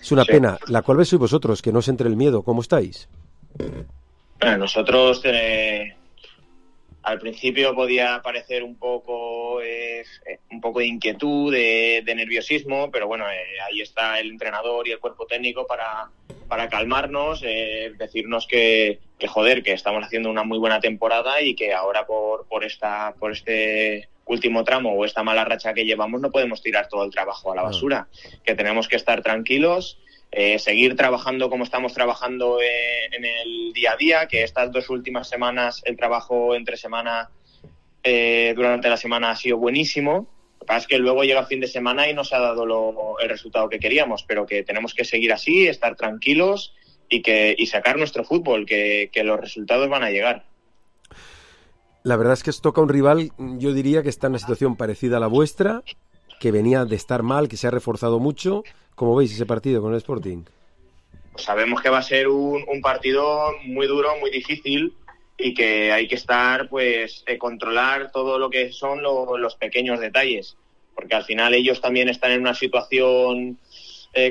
Es una pena. La cual sois vosotros, que no os entre el miedo. ¿Cómo estáis? Bueno, nosotros al principio podía parecer un poco de inquietud, de nerviosismo, pero bueno, ahí está el entrenador y el cuerpo técnico para calmarnos, decirnos que joder, que estamos haciendo una muy buena temporada y que ahora por este último tramo o esta mala racha que llevamos no podemos tirar todo el trabajo a la basura, que tenemos que estar tranquilos, seguir trabajando como estamos trabajando en el día a día, que estas 2 últimas semanas el trabajo entre semana durante la semana ha sido buenísimo. Lo que pasa es que luego llega el fin de semana y no se ha dado el resultado que queríamos, pero que tenemos que seguir así, estar tranquilos y sacar nuestro fútbol, que los resultados van a llegar. La verdad es que os toca un rival, yo diría que está en una situación parecida a la vuestra, que venía de estar mal, que se ha reforzado mucho. ¿Cómo veis ese partido con el Sporting? Pues sabemos que va a ser un partido muy duro, muy difícil, y que hay que estar, pues, controlar todo lo que son los pequeños detalles, porque al final ellos también están en una situación,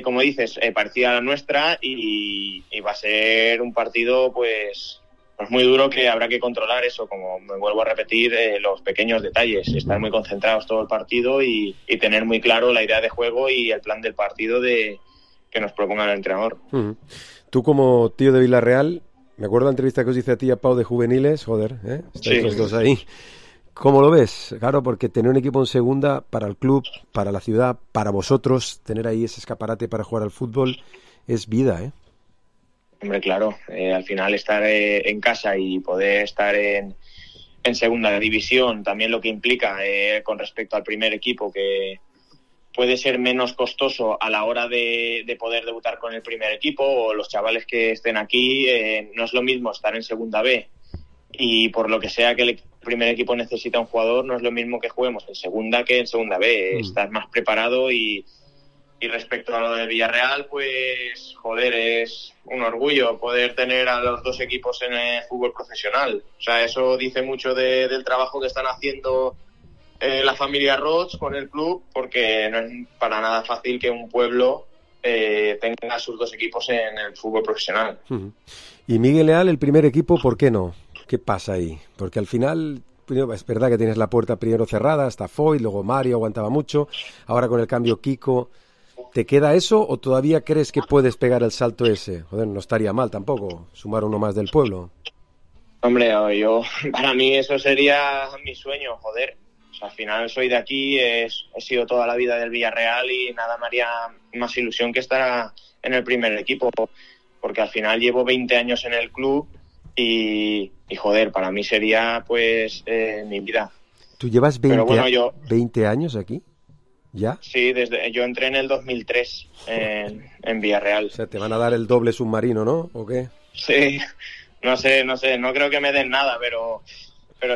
como dices, parecida a la nuestra, y va a ser un partido, pues muy duro, que habrá que controlar eso, como me vuelvo a repetir, los pequeños detalles, estar muy concentrados todo el partido y tener muy claro la idea de juego y el plan del partido que nos proponga el entrenador. Tú, como tío de Villarreal, me acuerdo de la entrevista que os hice a ti y a Pau de juveniles, joder, estáis los dos ahí. ¿Cómo lo ves? Claro, porque tener un equipo en segunda para el club, para la ciudad, para vosotros, tener ahí ese escaparate para jugar al fútbol, es vida, ¿eh? Hombre, claro, al final estar en casa y poder estar en segunda división, también lo que implica con respecto al primer equipo, que puede ser menos costoso a la hora de poder debutar con el primer equipo, o los chavales que estén aquí, no es lo mismo estar en segunda B y por lo que sea que el primer equipo necesita un jugador, no es lo mismo que juguemos en segunda que en segunda B. Estás más preparado y respecto a lo de Villarreal, pues joder, es un orgullo poder tener a los 2 equipos en el fútbol profesional. O sea, eso dice mucho del trabajo que están haciendo la familia Roig con el club, porque no es para nada fácil que un pueblo tenga sus 2 equipos en el fútbol profesional. Y Miguel Leal, el primer equipo, ¿por qué no? ¿Qué pasa ahí? Porque al final, es verdad que tienes la puerta primero cerrada, hasta Foy, luego Mario aguantaba mucho, ahora con el cambio Kiko. ¿Te queda eso o todavía crees que puedes pegar el salto ese? Joder, no estaría mal tampoco, sumar uno más del pueblo. Hombre, para mí eso sería mi sueño, joder. O sea, al final soy de aquí, he sido toda la vida del Villarreal y nada me haría más ilusión que estar en el primer equipo, porque al final llevo 20 años en el club y joder, para mí sería pues mi vida. ¿Tú llevas 20 años aquí? ¿Ya? Sí, yo entré en el 2003 en Villarreal. O sea, te van a dar el doble submarino, ¿no? ¿O qué? Sí, no sé, no creo que me den nada, pero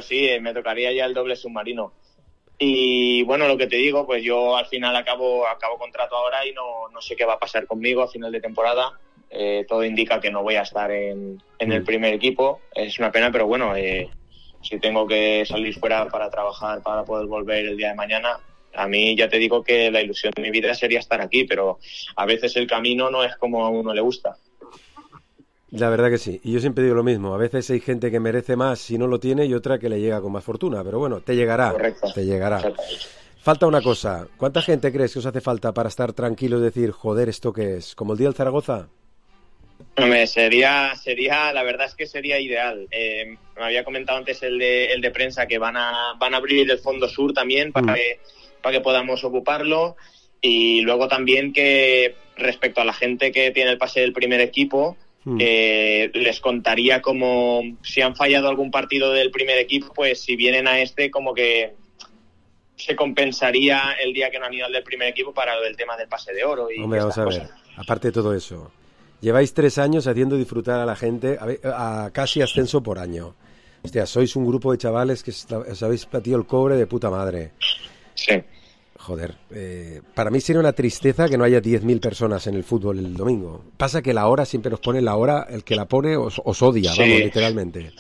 sí, me tocaría ya el doble submarino. Y bueno, lo que te digo, pues yo al final acabo contrato ahora y no sé qué va a pasar conmigo a final de temporada. Todo indica que no voy a estar en el primer equipo. Es una pena, pero bueno, si tengo que salir fuera para trabajar, para poder volver el día de mañana, A mí ya te digo que la ilusión de mi vida sería estar aquí, pero a veces el camino no es como a uno le gusta. La verdad que sí, y yo siempre digo lo mismo, a veces hay gente que merece más si no lo tiene y otra que le llega con más fortuna, pero bueno, te llegará. Correcto. Te llegará. Falta una cosa, ¿cuánta gente crees que os hace falta para estar tranquilos y decir, joder, ¿esto qué es? ¿Como el día del Zaragoza? Hombre, sería, la verdad es que sería ideal. Me había comentado antes el de prensa que van a abrir el Fondo Sur también para que podamos ocuparlo, y luego también que respecto a la gente que tiene el pase del primer equipo, les contaría como si han fallado algún partido del primer equipo, pues si vienen a como que se compensaría el día que no han ido al del primer equipo para lo del tema del pase de oro. Y hombre, vamos a ver, aparte de todo eso, lleváis 3 años haciendo disfrutar a la gente a casi ascenso por año. Hostia, sois un grupo de chavales que os habéis batido el cobre de puta madre. Sí. Joder, para mí sería una tristeza que no haya 10.000 personas en el fútbol el domingo. Pasa que la hora siempre nos pone la hora, el que la pone os odia, sí. Vamos, literalmente.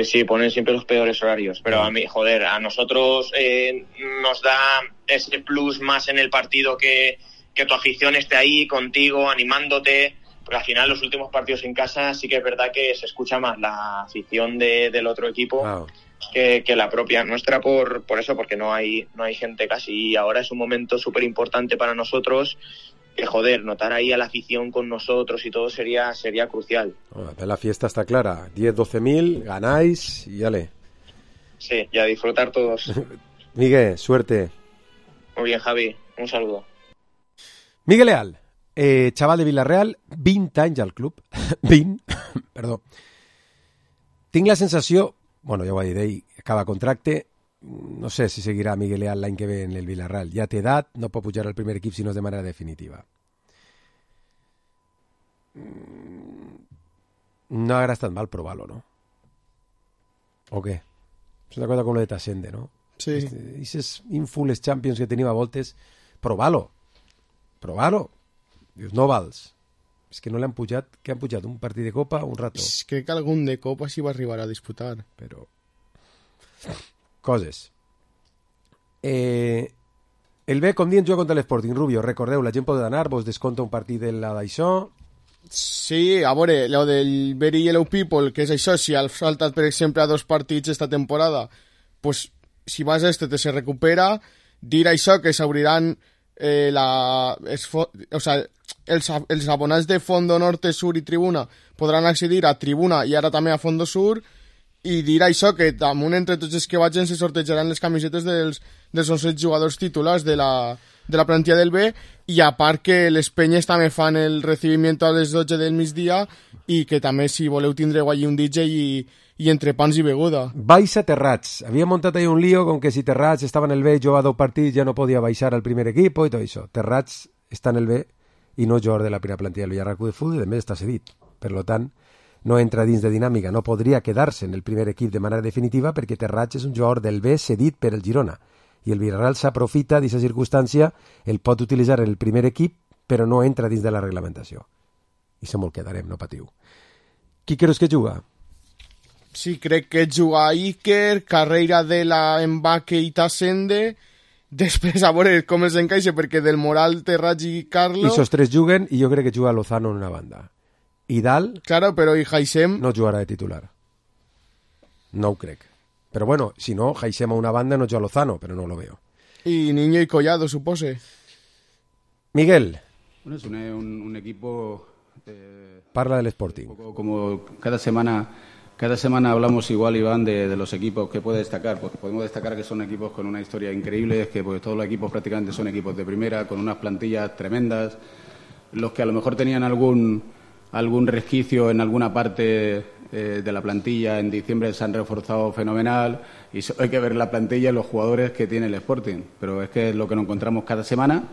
Sí, ponen siempre los peores horarios, pero a mí, joder, a nosotros nos da ese plus más en el partido que tu afición esté ahí contigo, animándote, porque al final los últimos partidos en casa sí que es verdad que se escucha más la afición del otro equipo. Wow. Que la propia nuestra por eso, porque no hay gente casi, y ahora es un momento súper importante para nosotros, que joder, notar ahí a la afición con nosotros y todo sería crucial. La fiesta está clara, 10-12.000, ganáis y dale. Sí, y a disfrutar todos. Miguel, suerte. Muy bien, Javi, un saludo. Miguel Leal, chaval de Villarreal, 20 anys al club, 20, perdó. Tinc la sensació, bueno, ja ho vaig dir, ell acaba contracte, no sé si seguirà Miguel Leal l'any que ve en el Villarreal. Ja té edat, no pot pujar al primer equip si no és de manera definitiva. No haurà estat mal provar-lo, ¿no? ¿O què? És una cosa com lo de Tassende, ¿no? Sí. Aquestes infules Champions que tenim a voltes, provar-lo. Dius, no vals. És que no l'han pujat, que han pujat un partit de Copa un rato. Crec que algun de Copa sí va arribar a disputar. Però... coses. El B, com dient, juga contra l'Sporting. Rubio, recordeu, la gent pot anar, vos desconta un partit de la d'això. Sí, a veure, lo del Very Yellow People, que és això, si has saltat, per exemple, a 2 partits esta temporada, pues, si vas a te se recupera, dir això, que s'obriran els abonats de Fondo Norte, Sur i Tribuna podran accedir a Tribuna i ara també a Fondo Sur, i dir això, que damunt entre tots els que vagin se sortejaran les camisetes dels 11 jugadors titulars de la plantilla del B, i a part que les penyes també fan el recibimiento a les 12 del migdia, i que també si voleu tindreu allí un DJ i entrepans i beguda. Baixa Terrats. Havia muntat ahí un lío con que si Terrats estava en el B, jugava 2 partits, ja no podia baixar al primer equipo i tot això. Terrats està en el B i no jugador de la primera plantilla del Villarreal Club de Futbol, i a més està cedit. Per tant, no entra dins de dinàmica, no podria quedar-se en el primer equip de manera definitiva perquè Terrats és un jugador del B cedit per el Girona, i el Villarreal s'aprofita d'aquesta circumstància, el pot utilitzar en el primer equip, però no entra dins de la reglamentació. I se me'l quedarem, no patiu. Qui creus que juga? Sí, crec que juga Iker, Carreira de la Embaque i Tassende, després a veure com els encaixa, perquè del Moral, Terrats i Carlo... I esos 3 juguen, i jo crec que juga Lozano en una banda. I Dal... Claro, però i Haisem... No jugarà de titular. No ho crec. Però bueno, si no, Haisem a una banda no juga Lozano, però no lo veo. I Niño y Collado, supose. Miguel. Bueno, es un equipo... Parla del Sporting. Como cada semana hablamos igual, Iván, de los equipos que puede destacar, porque podemos destacar que son equipos con una historia increíble, que pues todos los equipos prácticamente son equipos de primera, con unas plantillas tremendas, los que a lo mejor tenían algún resquicio en alguna parte de la plantilla en diciembre se han reforzado fenomenal, y solo hay que ver la plantilla y los jugadores que tiene el Sporting, pero es que es lo que nos encontramos cada semana,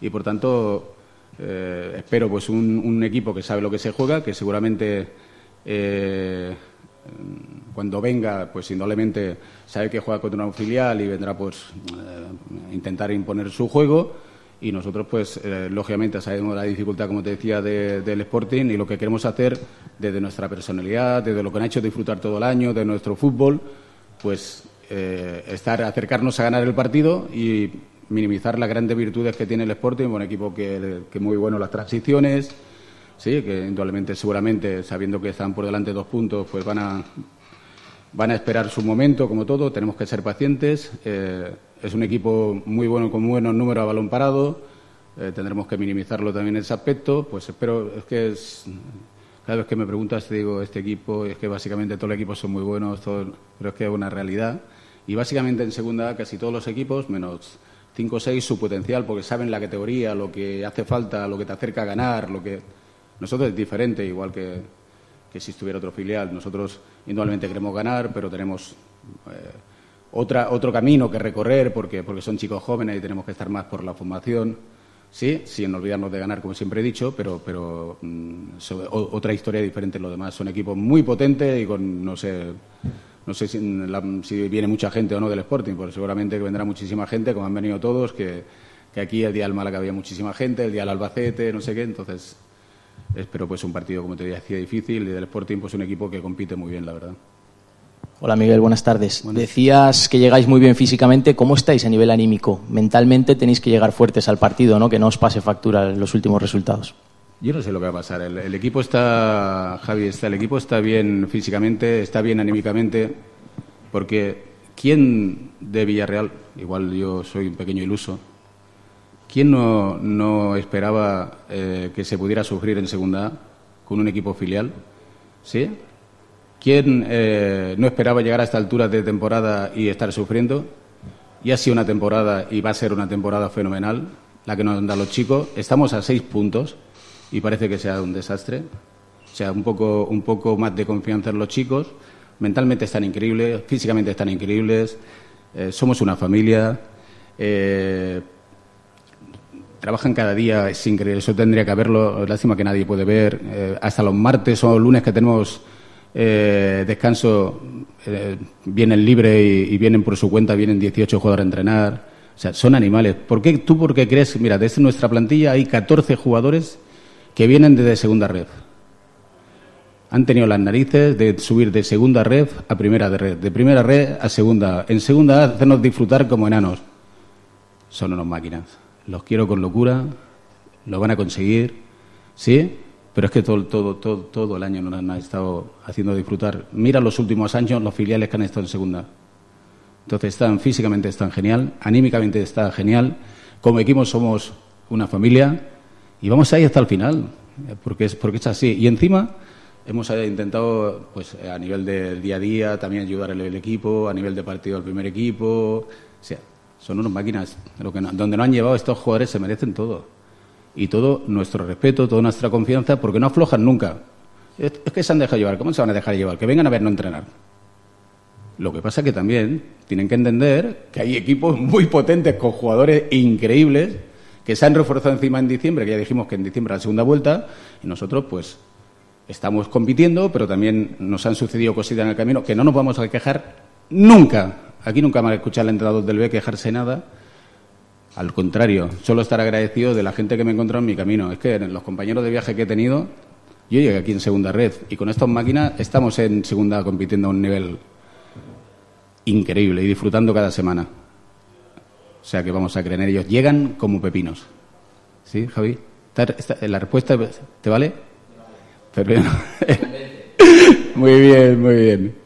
y por tanto espero pues un equipo que sabe lo que se juega, que seguramente cuando venga, pues indudablemente sabe que juega contra un filial y vendrá pues intentar imponer su juego, y nosotros pues lógicamente sabemos la dificultad, como te decía, del Sporting, y lo que queremos hacer desde nuestra personalidad, desde lo que nos ha hecho disfrutar todo el año, de nuestro fútbol, pues acercarnos a ganar el partido y minimizar las grandes virtudes que tiene el Sporting, un equipo que muy bueno las transiciones, sí, que indudablemente, seguramente, sabiendo que están por delante 2 puntos, pues van a esperar su momento, como todo. Tenemos que ser pacientes. Es un equipo muy bueno, con buenos números a balón parado. Tendremos que minimizarlo también en ese aspecto. Pues espero, cada vez que me preguntas te digo, este equipo, es que básicamente todos los equipos son muy buenos, pero es que es una realidad. Y básicamente en segunda A casi todos los equipos, menos 5 o 6, su potencial, porque saben la categoría, lo que hace falta, lo que te acerca a ganar, Nosotros es diferente, igual que si estuviera otro filial. Nosotros indudablemente queremos ganar, pero tenemos otro camino que recorrer, porque son chicos jóvenes y tenemos que estar más por la formación. Sí, sin olvidarnos de ganar, como siempre he dicho, pero otra historia diferente en lo demás. Son equipos muy potentes y con, no sé si viene mucha gente o no del Sporting, pues seguramente que vendrá muchísima gente, como han venido todos, que aquí el día del Málaga había muchísima gente, el día del Albacete, no sé qué, entonces espero pues un partido, como te decía, difícil, y del Sporting pues un equipo que compite muy bien, la verdad. Hola Miguel, buenas tardes. Decías que llegáis muy bien físicamente. ¿Cómo estáis a nivel anímico? Mentalmente tenéis que llegar fuertes al partido, ¿no? Que no os pase factura en los últimos resultados. Yo no sé lo que va a pasar. El equipo está, Javi, el equipo está bien físicamente, está bien anímicamente, porque ¿quién de Villarreal, igual yo soy un pequeño iluso, quién no esperaba que se pudiera sufrir en segunda A con un equipo filial? ¿Sí? ¿Quién no esperaba llegar a esta altura de temporada y estar sufriendo? Y ha sido una temporada, y va a ser una temporada fenomenal, la que nos dan los chicos. Estamos a 6 puntos y parece que sea un desastre. O sea, un poco más de confianza en los chicos. Mentalmente están increíbles, físicamente están increíbles. Somos una familia. Trabajan cada día, es increíble. Eso tendría que haberlo. Lástima que nadie puede ver. Hasta los martes o lunes que tenemos descanso, vienen libre y vienen por su cuenta, vienen 18 jugadores a entrenar. O sea, son animales. ¿Por qué crees? Mira, desde nuestra plantilla hay 14 jugadores que vienen desde segunda red. Han tenido las narices de subir de segunda red a primera red, de primera red a segunda. En segunda hacernos disfrutar como enanos. Son unos máquinas. Los quiero con locura, lo van a conseguir, ¿sí? Pero es que todo el año nos han estado haciendo disfrutar. Mira los últimos años, los filiales que han estado en segunda. Entonces físicamente están genial, anímicamente está genial. Como equipo somos una familia y vamos ahí hasta el final, porque es así. Y encima hemos intentado, pues a nivel del día a día, también ayudar al equipo, a nivel de partido al primer equipo. O sea, son unas máquinas. Donde nos han llevado estos jugadores se merecen todo. Y todo nuestro respeto, toda nuestra confianza, porque no aflojan nunca. Es que se han dejado llevar. ¿Cómo se van a dejar llevar? Que vengan a vernos entrenar. Lo que pasa es que también tienen que entender que hay equipos muy potentes con jugadores increíbles que se han reforzado encima en diciembre, que ya dijimos que en diciembre la segunda vuelta, y nosotros pues estamos compitiendo, pero también nos han sucedido cositas en el camino que no nos vamos a quejar nunca. Aquí nunca me ha escuchado al entrenador del B quejarse nada. Al contrario, solo estar agradecido de la gente que me he encontrado en mi camino. Es que los compañeros de viaje que he tenido, yo llegué aquí en segunda red y con estas máquinas estamos en segunda compitiendo a un nivel increíble y disfrutando cada semana. O sea que vamos a creer en ellos. Llegan como pepinos. ¿Sí, Javi? ¿La respuesta te vale? Pero, muy bien, muy bien.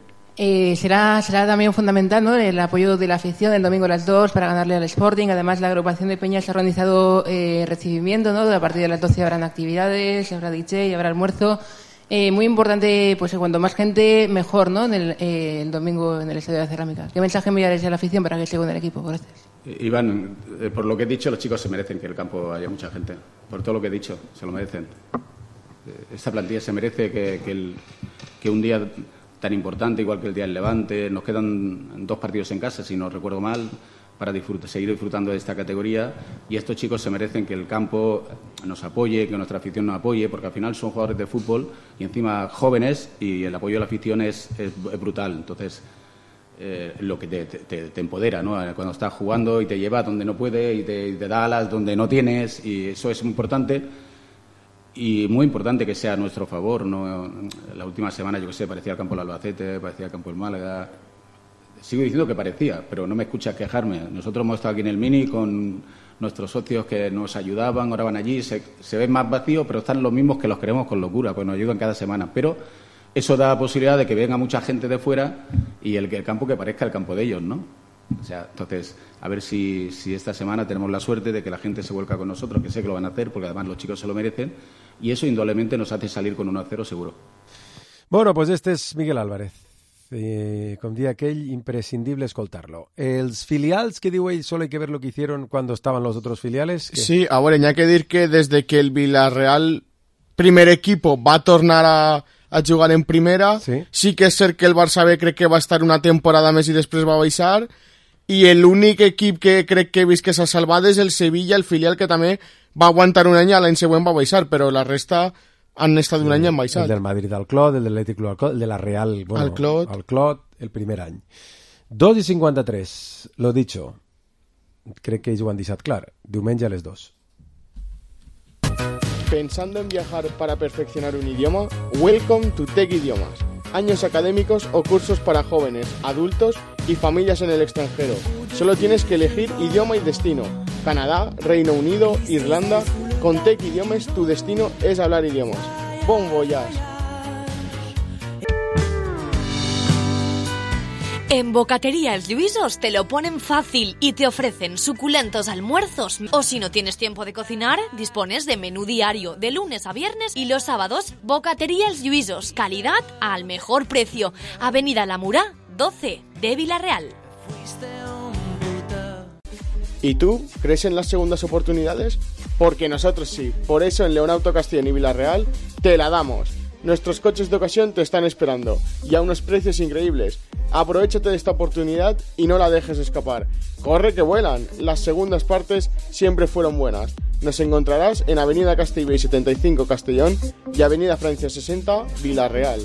Será también fundamental, ¿no?, el apoyo de la afición el domingo a las 2 para ganarle al Sporting. Además, la agrupación de Peñas ha organizado recibimiento, ¿no? A partir de las 12 habrán actividades, habrá DJ, habrá almuerzo. Muy importante, pues cuanto más gente, mejor, ¿no?, el domingo en el Estadio de la Cerámica. ¿Qué mensaje enviaréis a la afición para que esté con el equipo? Gracias. Iván, por lo que he dicho, los chicos se merecen que en el campo haya mucha gente. Por todo lo que he dicho, se lo merecen. Esta plantilla se merece que un día tan importante, igual que el día del Levante, nos quedan 2 partidos en casa, si no recuerdo mal, para seguir disfrutando de esta categoría, y estos chicos se merecen que el campo nos apoye, que nuestra afición nos apoye, porque al final son jugadores de fútbol y encima jóvenes, y el apoyo de la afición es brutal. Entonces, lo que te empodera, ¿no?, cuando estás jugando y te lleva donde no puede y te da alas donde no tienes, y eso es muy importante. Y muy importante que sea a nuestro favor, ¿no? La última semana, yo qué sé, parecía el campo del Albacete, parecía el campo del Málaga. sigo diciendo que parecía, pero no me escuchas quejarme. Nosotros hemos estado aquí en el Mini con nuestros socios que nos ayudaban, ahora van allí, se ven más vacíos, pero están los mismos que los queremos con locura, pues nos ayudan cada semana. Pero eso da la posibilidad de que venga mucha gente de fuera y el campo que parezca el campo de ellos, ¿no? O sea, entonces, a ver si esta semana tenemos la suerte de que la gente se vuelca con nosotros, que sé que lo van a hacer, porque además los chicos se lo merecen, y eso indudablemente nos hace salir con 1-0 seguro. Bueno, pues este és Miguel Álvarez. Com dia aquell, imprescindible escoltarlo. Els filials, que diu ell, solo hay que ver lo que hicieron cuando estaban los otros filiales. ¿Qué? Sí, a veure, hi ha que dir que desde que el Villarreal primer equipo va tornar a jugar en primera, sí que és cert que el Barça B crec que va estar una temporada més i després va baixar, i l'únic equip que crec que he vist que s'ha salvat és el Sevilla, el filial que també va aguantar un any i l'any següent va baixar, però la resta han estat un any en baixat. El del Madrid al Clot, el del Atlètic al Clot, el de la Real, bueno, al Clot, el primer any. 2:53, lo dicho. Crec que ells ho han deixat clar. Diumenge a les 2. ¿Pensando en viajar para perfeccionar un idioma? Welcome to Tech Idiomas. Años académicos o cursos para jóvenes, adultos y familias en el extranjero. Solo tienes que elegir idioma y destino. Canadá, Reino Unido, Irlanda. Con Tech Idiomas tu destino es hablar idiomas. Bon voyage. En Bocatería Els Lluïsos te lo ponen fácil y te ofrecen suculentos almuerzos. O si no tienes tiempo de cocinar, dispones de menú diario de lunes a viernes y los sábados. Bocatería Els Lluïsos, calidad al mejor precio. Avenida La Murá, 12 de Villarreal. ¿Y tú crees en las segundas oportunidades? Porque nosotros sí. Por eso en León Auto Castellón y Villarreal te la damos. Nuestros coches de ocasión te están esperando y a unos precios increíbles. Aprovechate de esta oportunidad y no la dejes escapar. Corre que vuelan. Las segundas partes siempre fueron buenas. Nos encontrarás en Avenida Castellbell 75 Castellón y Avenida Francia 60 Villarreal.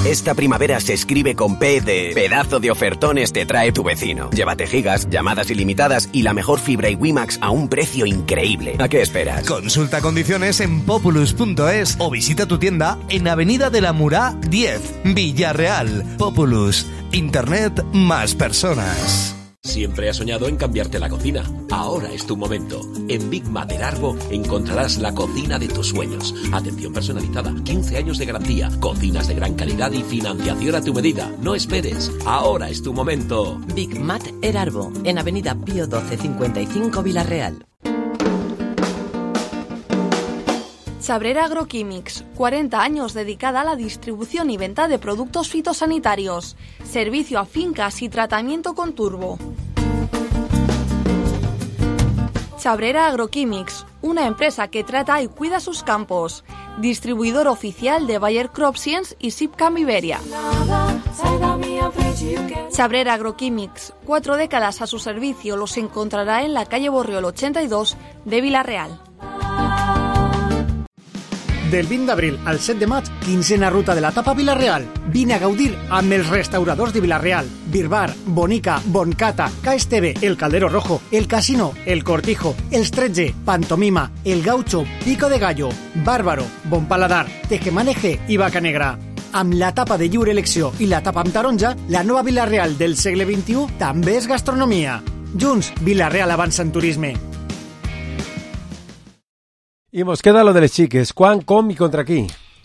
Esta primavera se escribe con P de pedazo de ofertones te trae tu vecino. Llévate gigas, llamadas ilimitadas y la mejor fibra y WiMax a un precio increíble. ¿A qué esperas? Consulta condiciones en populus.es o visita tu tienda en Avenida de la Murá 10, Villarreal. Populus. Internet más personas. Siempre has soñado en cambiarte la cocina. Ahora es tu momento. En Big Mater Arbo encontrarás la cocina de tus sueños. Atención personalizada, 15 años de garantía, cocinas de gran calidad y financiación a tu medida. No esperes. Ahora es tu momento. Big Mater Arbo, en Avenida Pío 12 55 Villarreal. Chabrera Agroquímics, 40 años dedicada a la distribución y venta de productos fitosanitarios. Servicio a fincas y tratamiento con turbo. Chabrera Agroquímics, una empresa que trata y cuida sus campos. Distribuidor oficial de Bayer Crop Science y Sipcam Iberia. Chabrera Agroquímics, 4 décadas a su servicio, los encontrará en la calle Borriol 82 de Villarreal. Del 20 d'abril al 7 de maig, 15a ruta de la Tapa Villarreal. Vine a gaudir amb els restauradors de Villarreal. Birbar, Bonica, Boncata, KSTV, El Caldero Rojo, El Casino, El Cortijo, Els 13, Pantomima, El Gaucho, Pico de Gallo, Bárbaro, Bon Paladar, Tejemaneje i Vaca Negra. Amb la tapa de lliure elecció i la tapa amb taronja, la nova Villarreal del segle XXI també és gastronomia. Junts, Villarreal avança en turisme. I mos queda lo de les xiques. Quan, com i contra qui?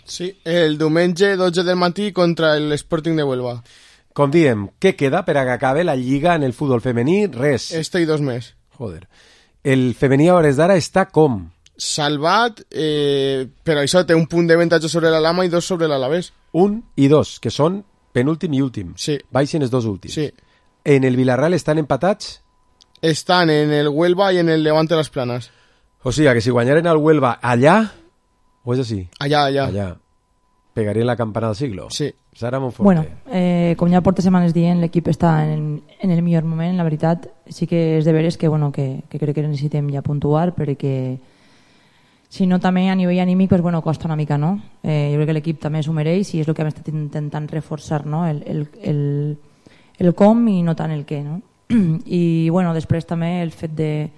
Sí, el diumenge 12 del matí contra el Sporting de Huelva. Com diem, què queda per a que acabe la lliga en el futbol femení? Res. Este i 2 més. Joder. El femení a hores d'ara està com? Salvat, però això té un punt d'avantatge sobre la Lama i 2 sobre l'Alavés. 1 i 2, que són penúltim i últim. Sí. Baixen els 2 últims. Sí. En el Villarreal estan empatats? Estan en el Huelva i en el Levante Las Planas. O sigui, que si guanyaren al Huelva allà, o és així? Allà. Pegarien la campana del siglo? Sí. Sara Monforte. Bueno, com ja porta setmanes dient, l'equip està en el millor moment, la veritat. Sí que és de veres que crec que necessitem ja puntuar, perquè si no també a nivell anímic pues, costa una mica, no? Jo crec que l'equip també s'ho mereix i és el que hem estat intentant reforçar, no? El com i no tant el què, no? I després també el fet de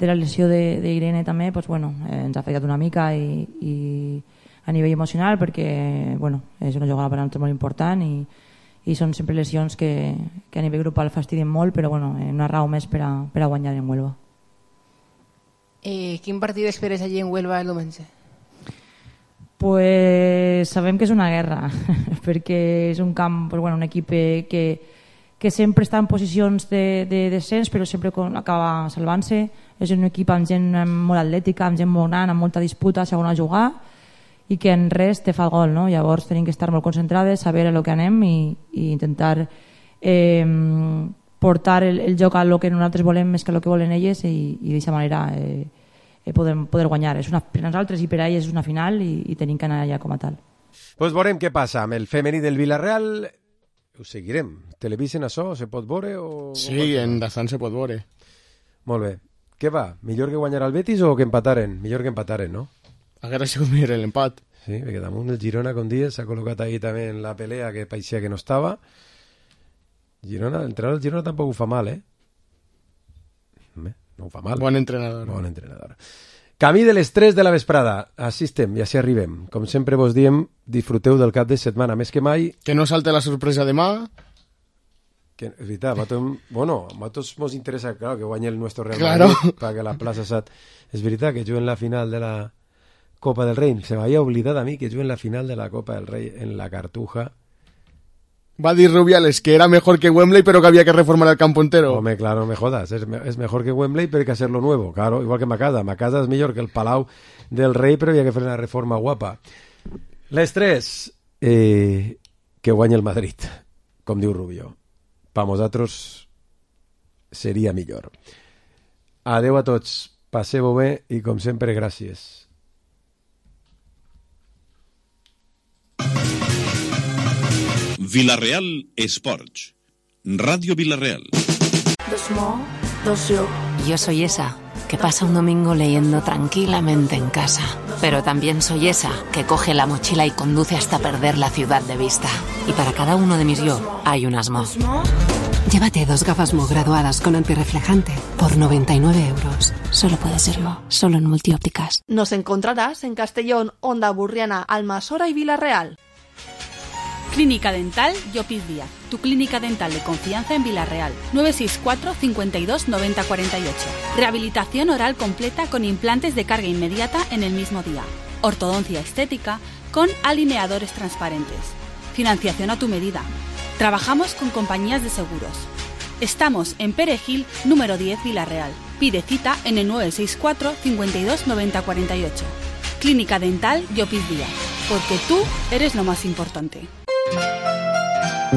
la lesió d'Irene també ens ha afectat una mica i a nivell emocional perquè és una jugada per a nosaltres molt important i i són sempre lesions que a nivell grupal fastidien molt, però bueno, una raó més per a guanyar en Huelva. Quin partit esperes allí en Huelva el diumenge? Pues sabem que és una guerra perquè és un camp, pues bueno, un equip que sempre està en posicions de descens però sempre acaba salvant-se. És un equip amb gent molt atlètica, amb gent molt gran, amb molta disputa segona a jugar i que en res te fa el gol, no? Llavors tenim que estar molt concentrades, saber a lo que anem i intentar portar el joc a lo que nosaltres volem més que a lo que volen elles i d'aquesta manera poder guanyar. És per nosaltres i per a elles és una final i tenim que anar allà com a tal. Pues veurem què passa amb el femení del Villarreal. Ho seguirem. Televisen això? Se pot veure? O... Sí, en Dazan se pot veure. Molt bé. Què va? Millor que guanyar el Betis o que empataren? Millor que empataren, no? Haguera sigut millor l'empat. Sí, perquè damunt el Girona, com dies, s'ha col·locat ahí també en la pelea que parecía que no estava. Girona, l'entrenador del Girona tampoc ho fa mal, no ho fa mal. Bon entrenador. Bon entrenador. Camí de les 3 de la vesprada. Així estem, ja s'hi arribem. Com sempre vos diem, disfruteu del cap de setmana més que mai. Que no salte la sorpresa demà. Que, és veritat, a nosaltres mos interessa, claro, que guanyi el nostre Real Madrid, claro, para que la plaça SAT... És veritat que juguen la final de la Copa del Rey. Se m'havia oblidat a mi que juguen la final de la Copa del Rey en la Cartuja. Va a dir Rubiales que era mejor que Wembley, pero que había que reformar el campo entero. Hombre, claro, me jodas. Es mejor que Wembley, pero hay que hacerlo nuevo. Claro, igual que Macasa. Macasa es mejor que el Palau del Rey, pero había que hacer una reforma guapa. Les 3, que guanya el Madrid, com diu Rubio. Per nosaltres seria millor. Adeu a tots. Passeu-ho bé i, com sempre, gràcies. Villarreal Sports. Radio Villarreal. Yo soy esa que pasa un domingo leyendo tranquilamente en casa. Pero también soy esa que coge la mochila y conduce hasta perder la ciudad de vista. Y para cada uno de mis yo hay un Mo. Llévate 2 gafas Mo graduadas con antirreflejante por 99 euros. Solo puede ser Mo, solo en Multiópticas. Nos encontrarás en Castellón, Onda Burriana, Almasora y Villarreal. Clínica Dental Llopis Díaz, tu clínica dental de confianza en Villarreal. 964 52 90 48. Rehabilitación oral completa con implantes de carga inmediata en el mismo día. Ortodoncia estética con alineadores transparentes. Financiación a tu medida. Trabajamos con compañías de seguros. Estamos en Perejil, número 10, Villarreal. Pide cita en el 964 52 90 48. Clínica Dental Llopis Díaz, porque tú eres lo más importante.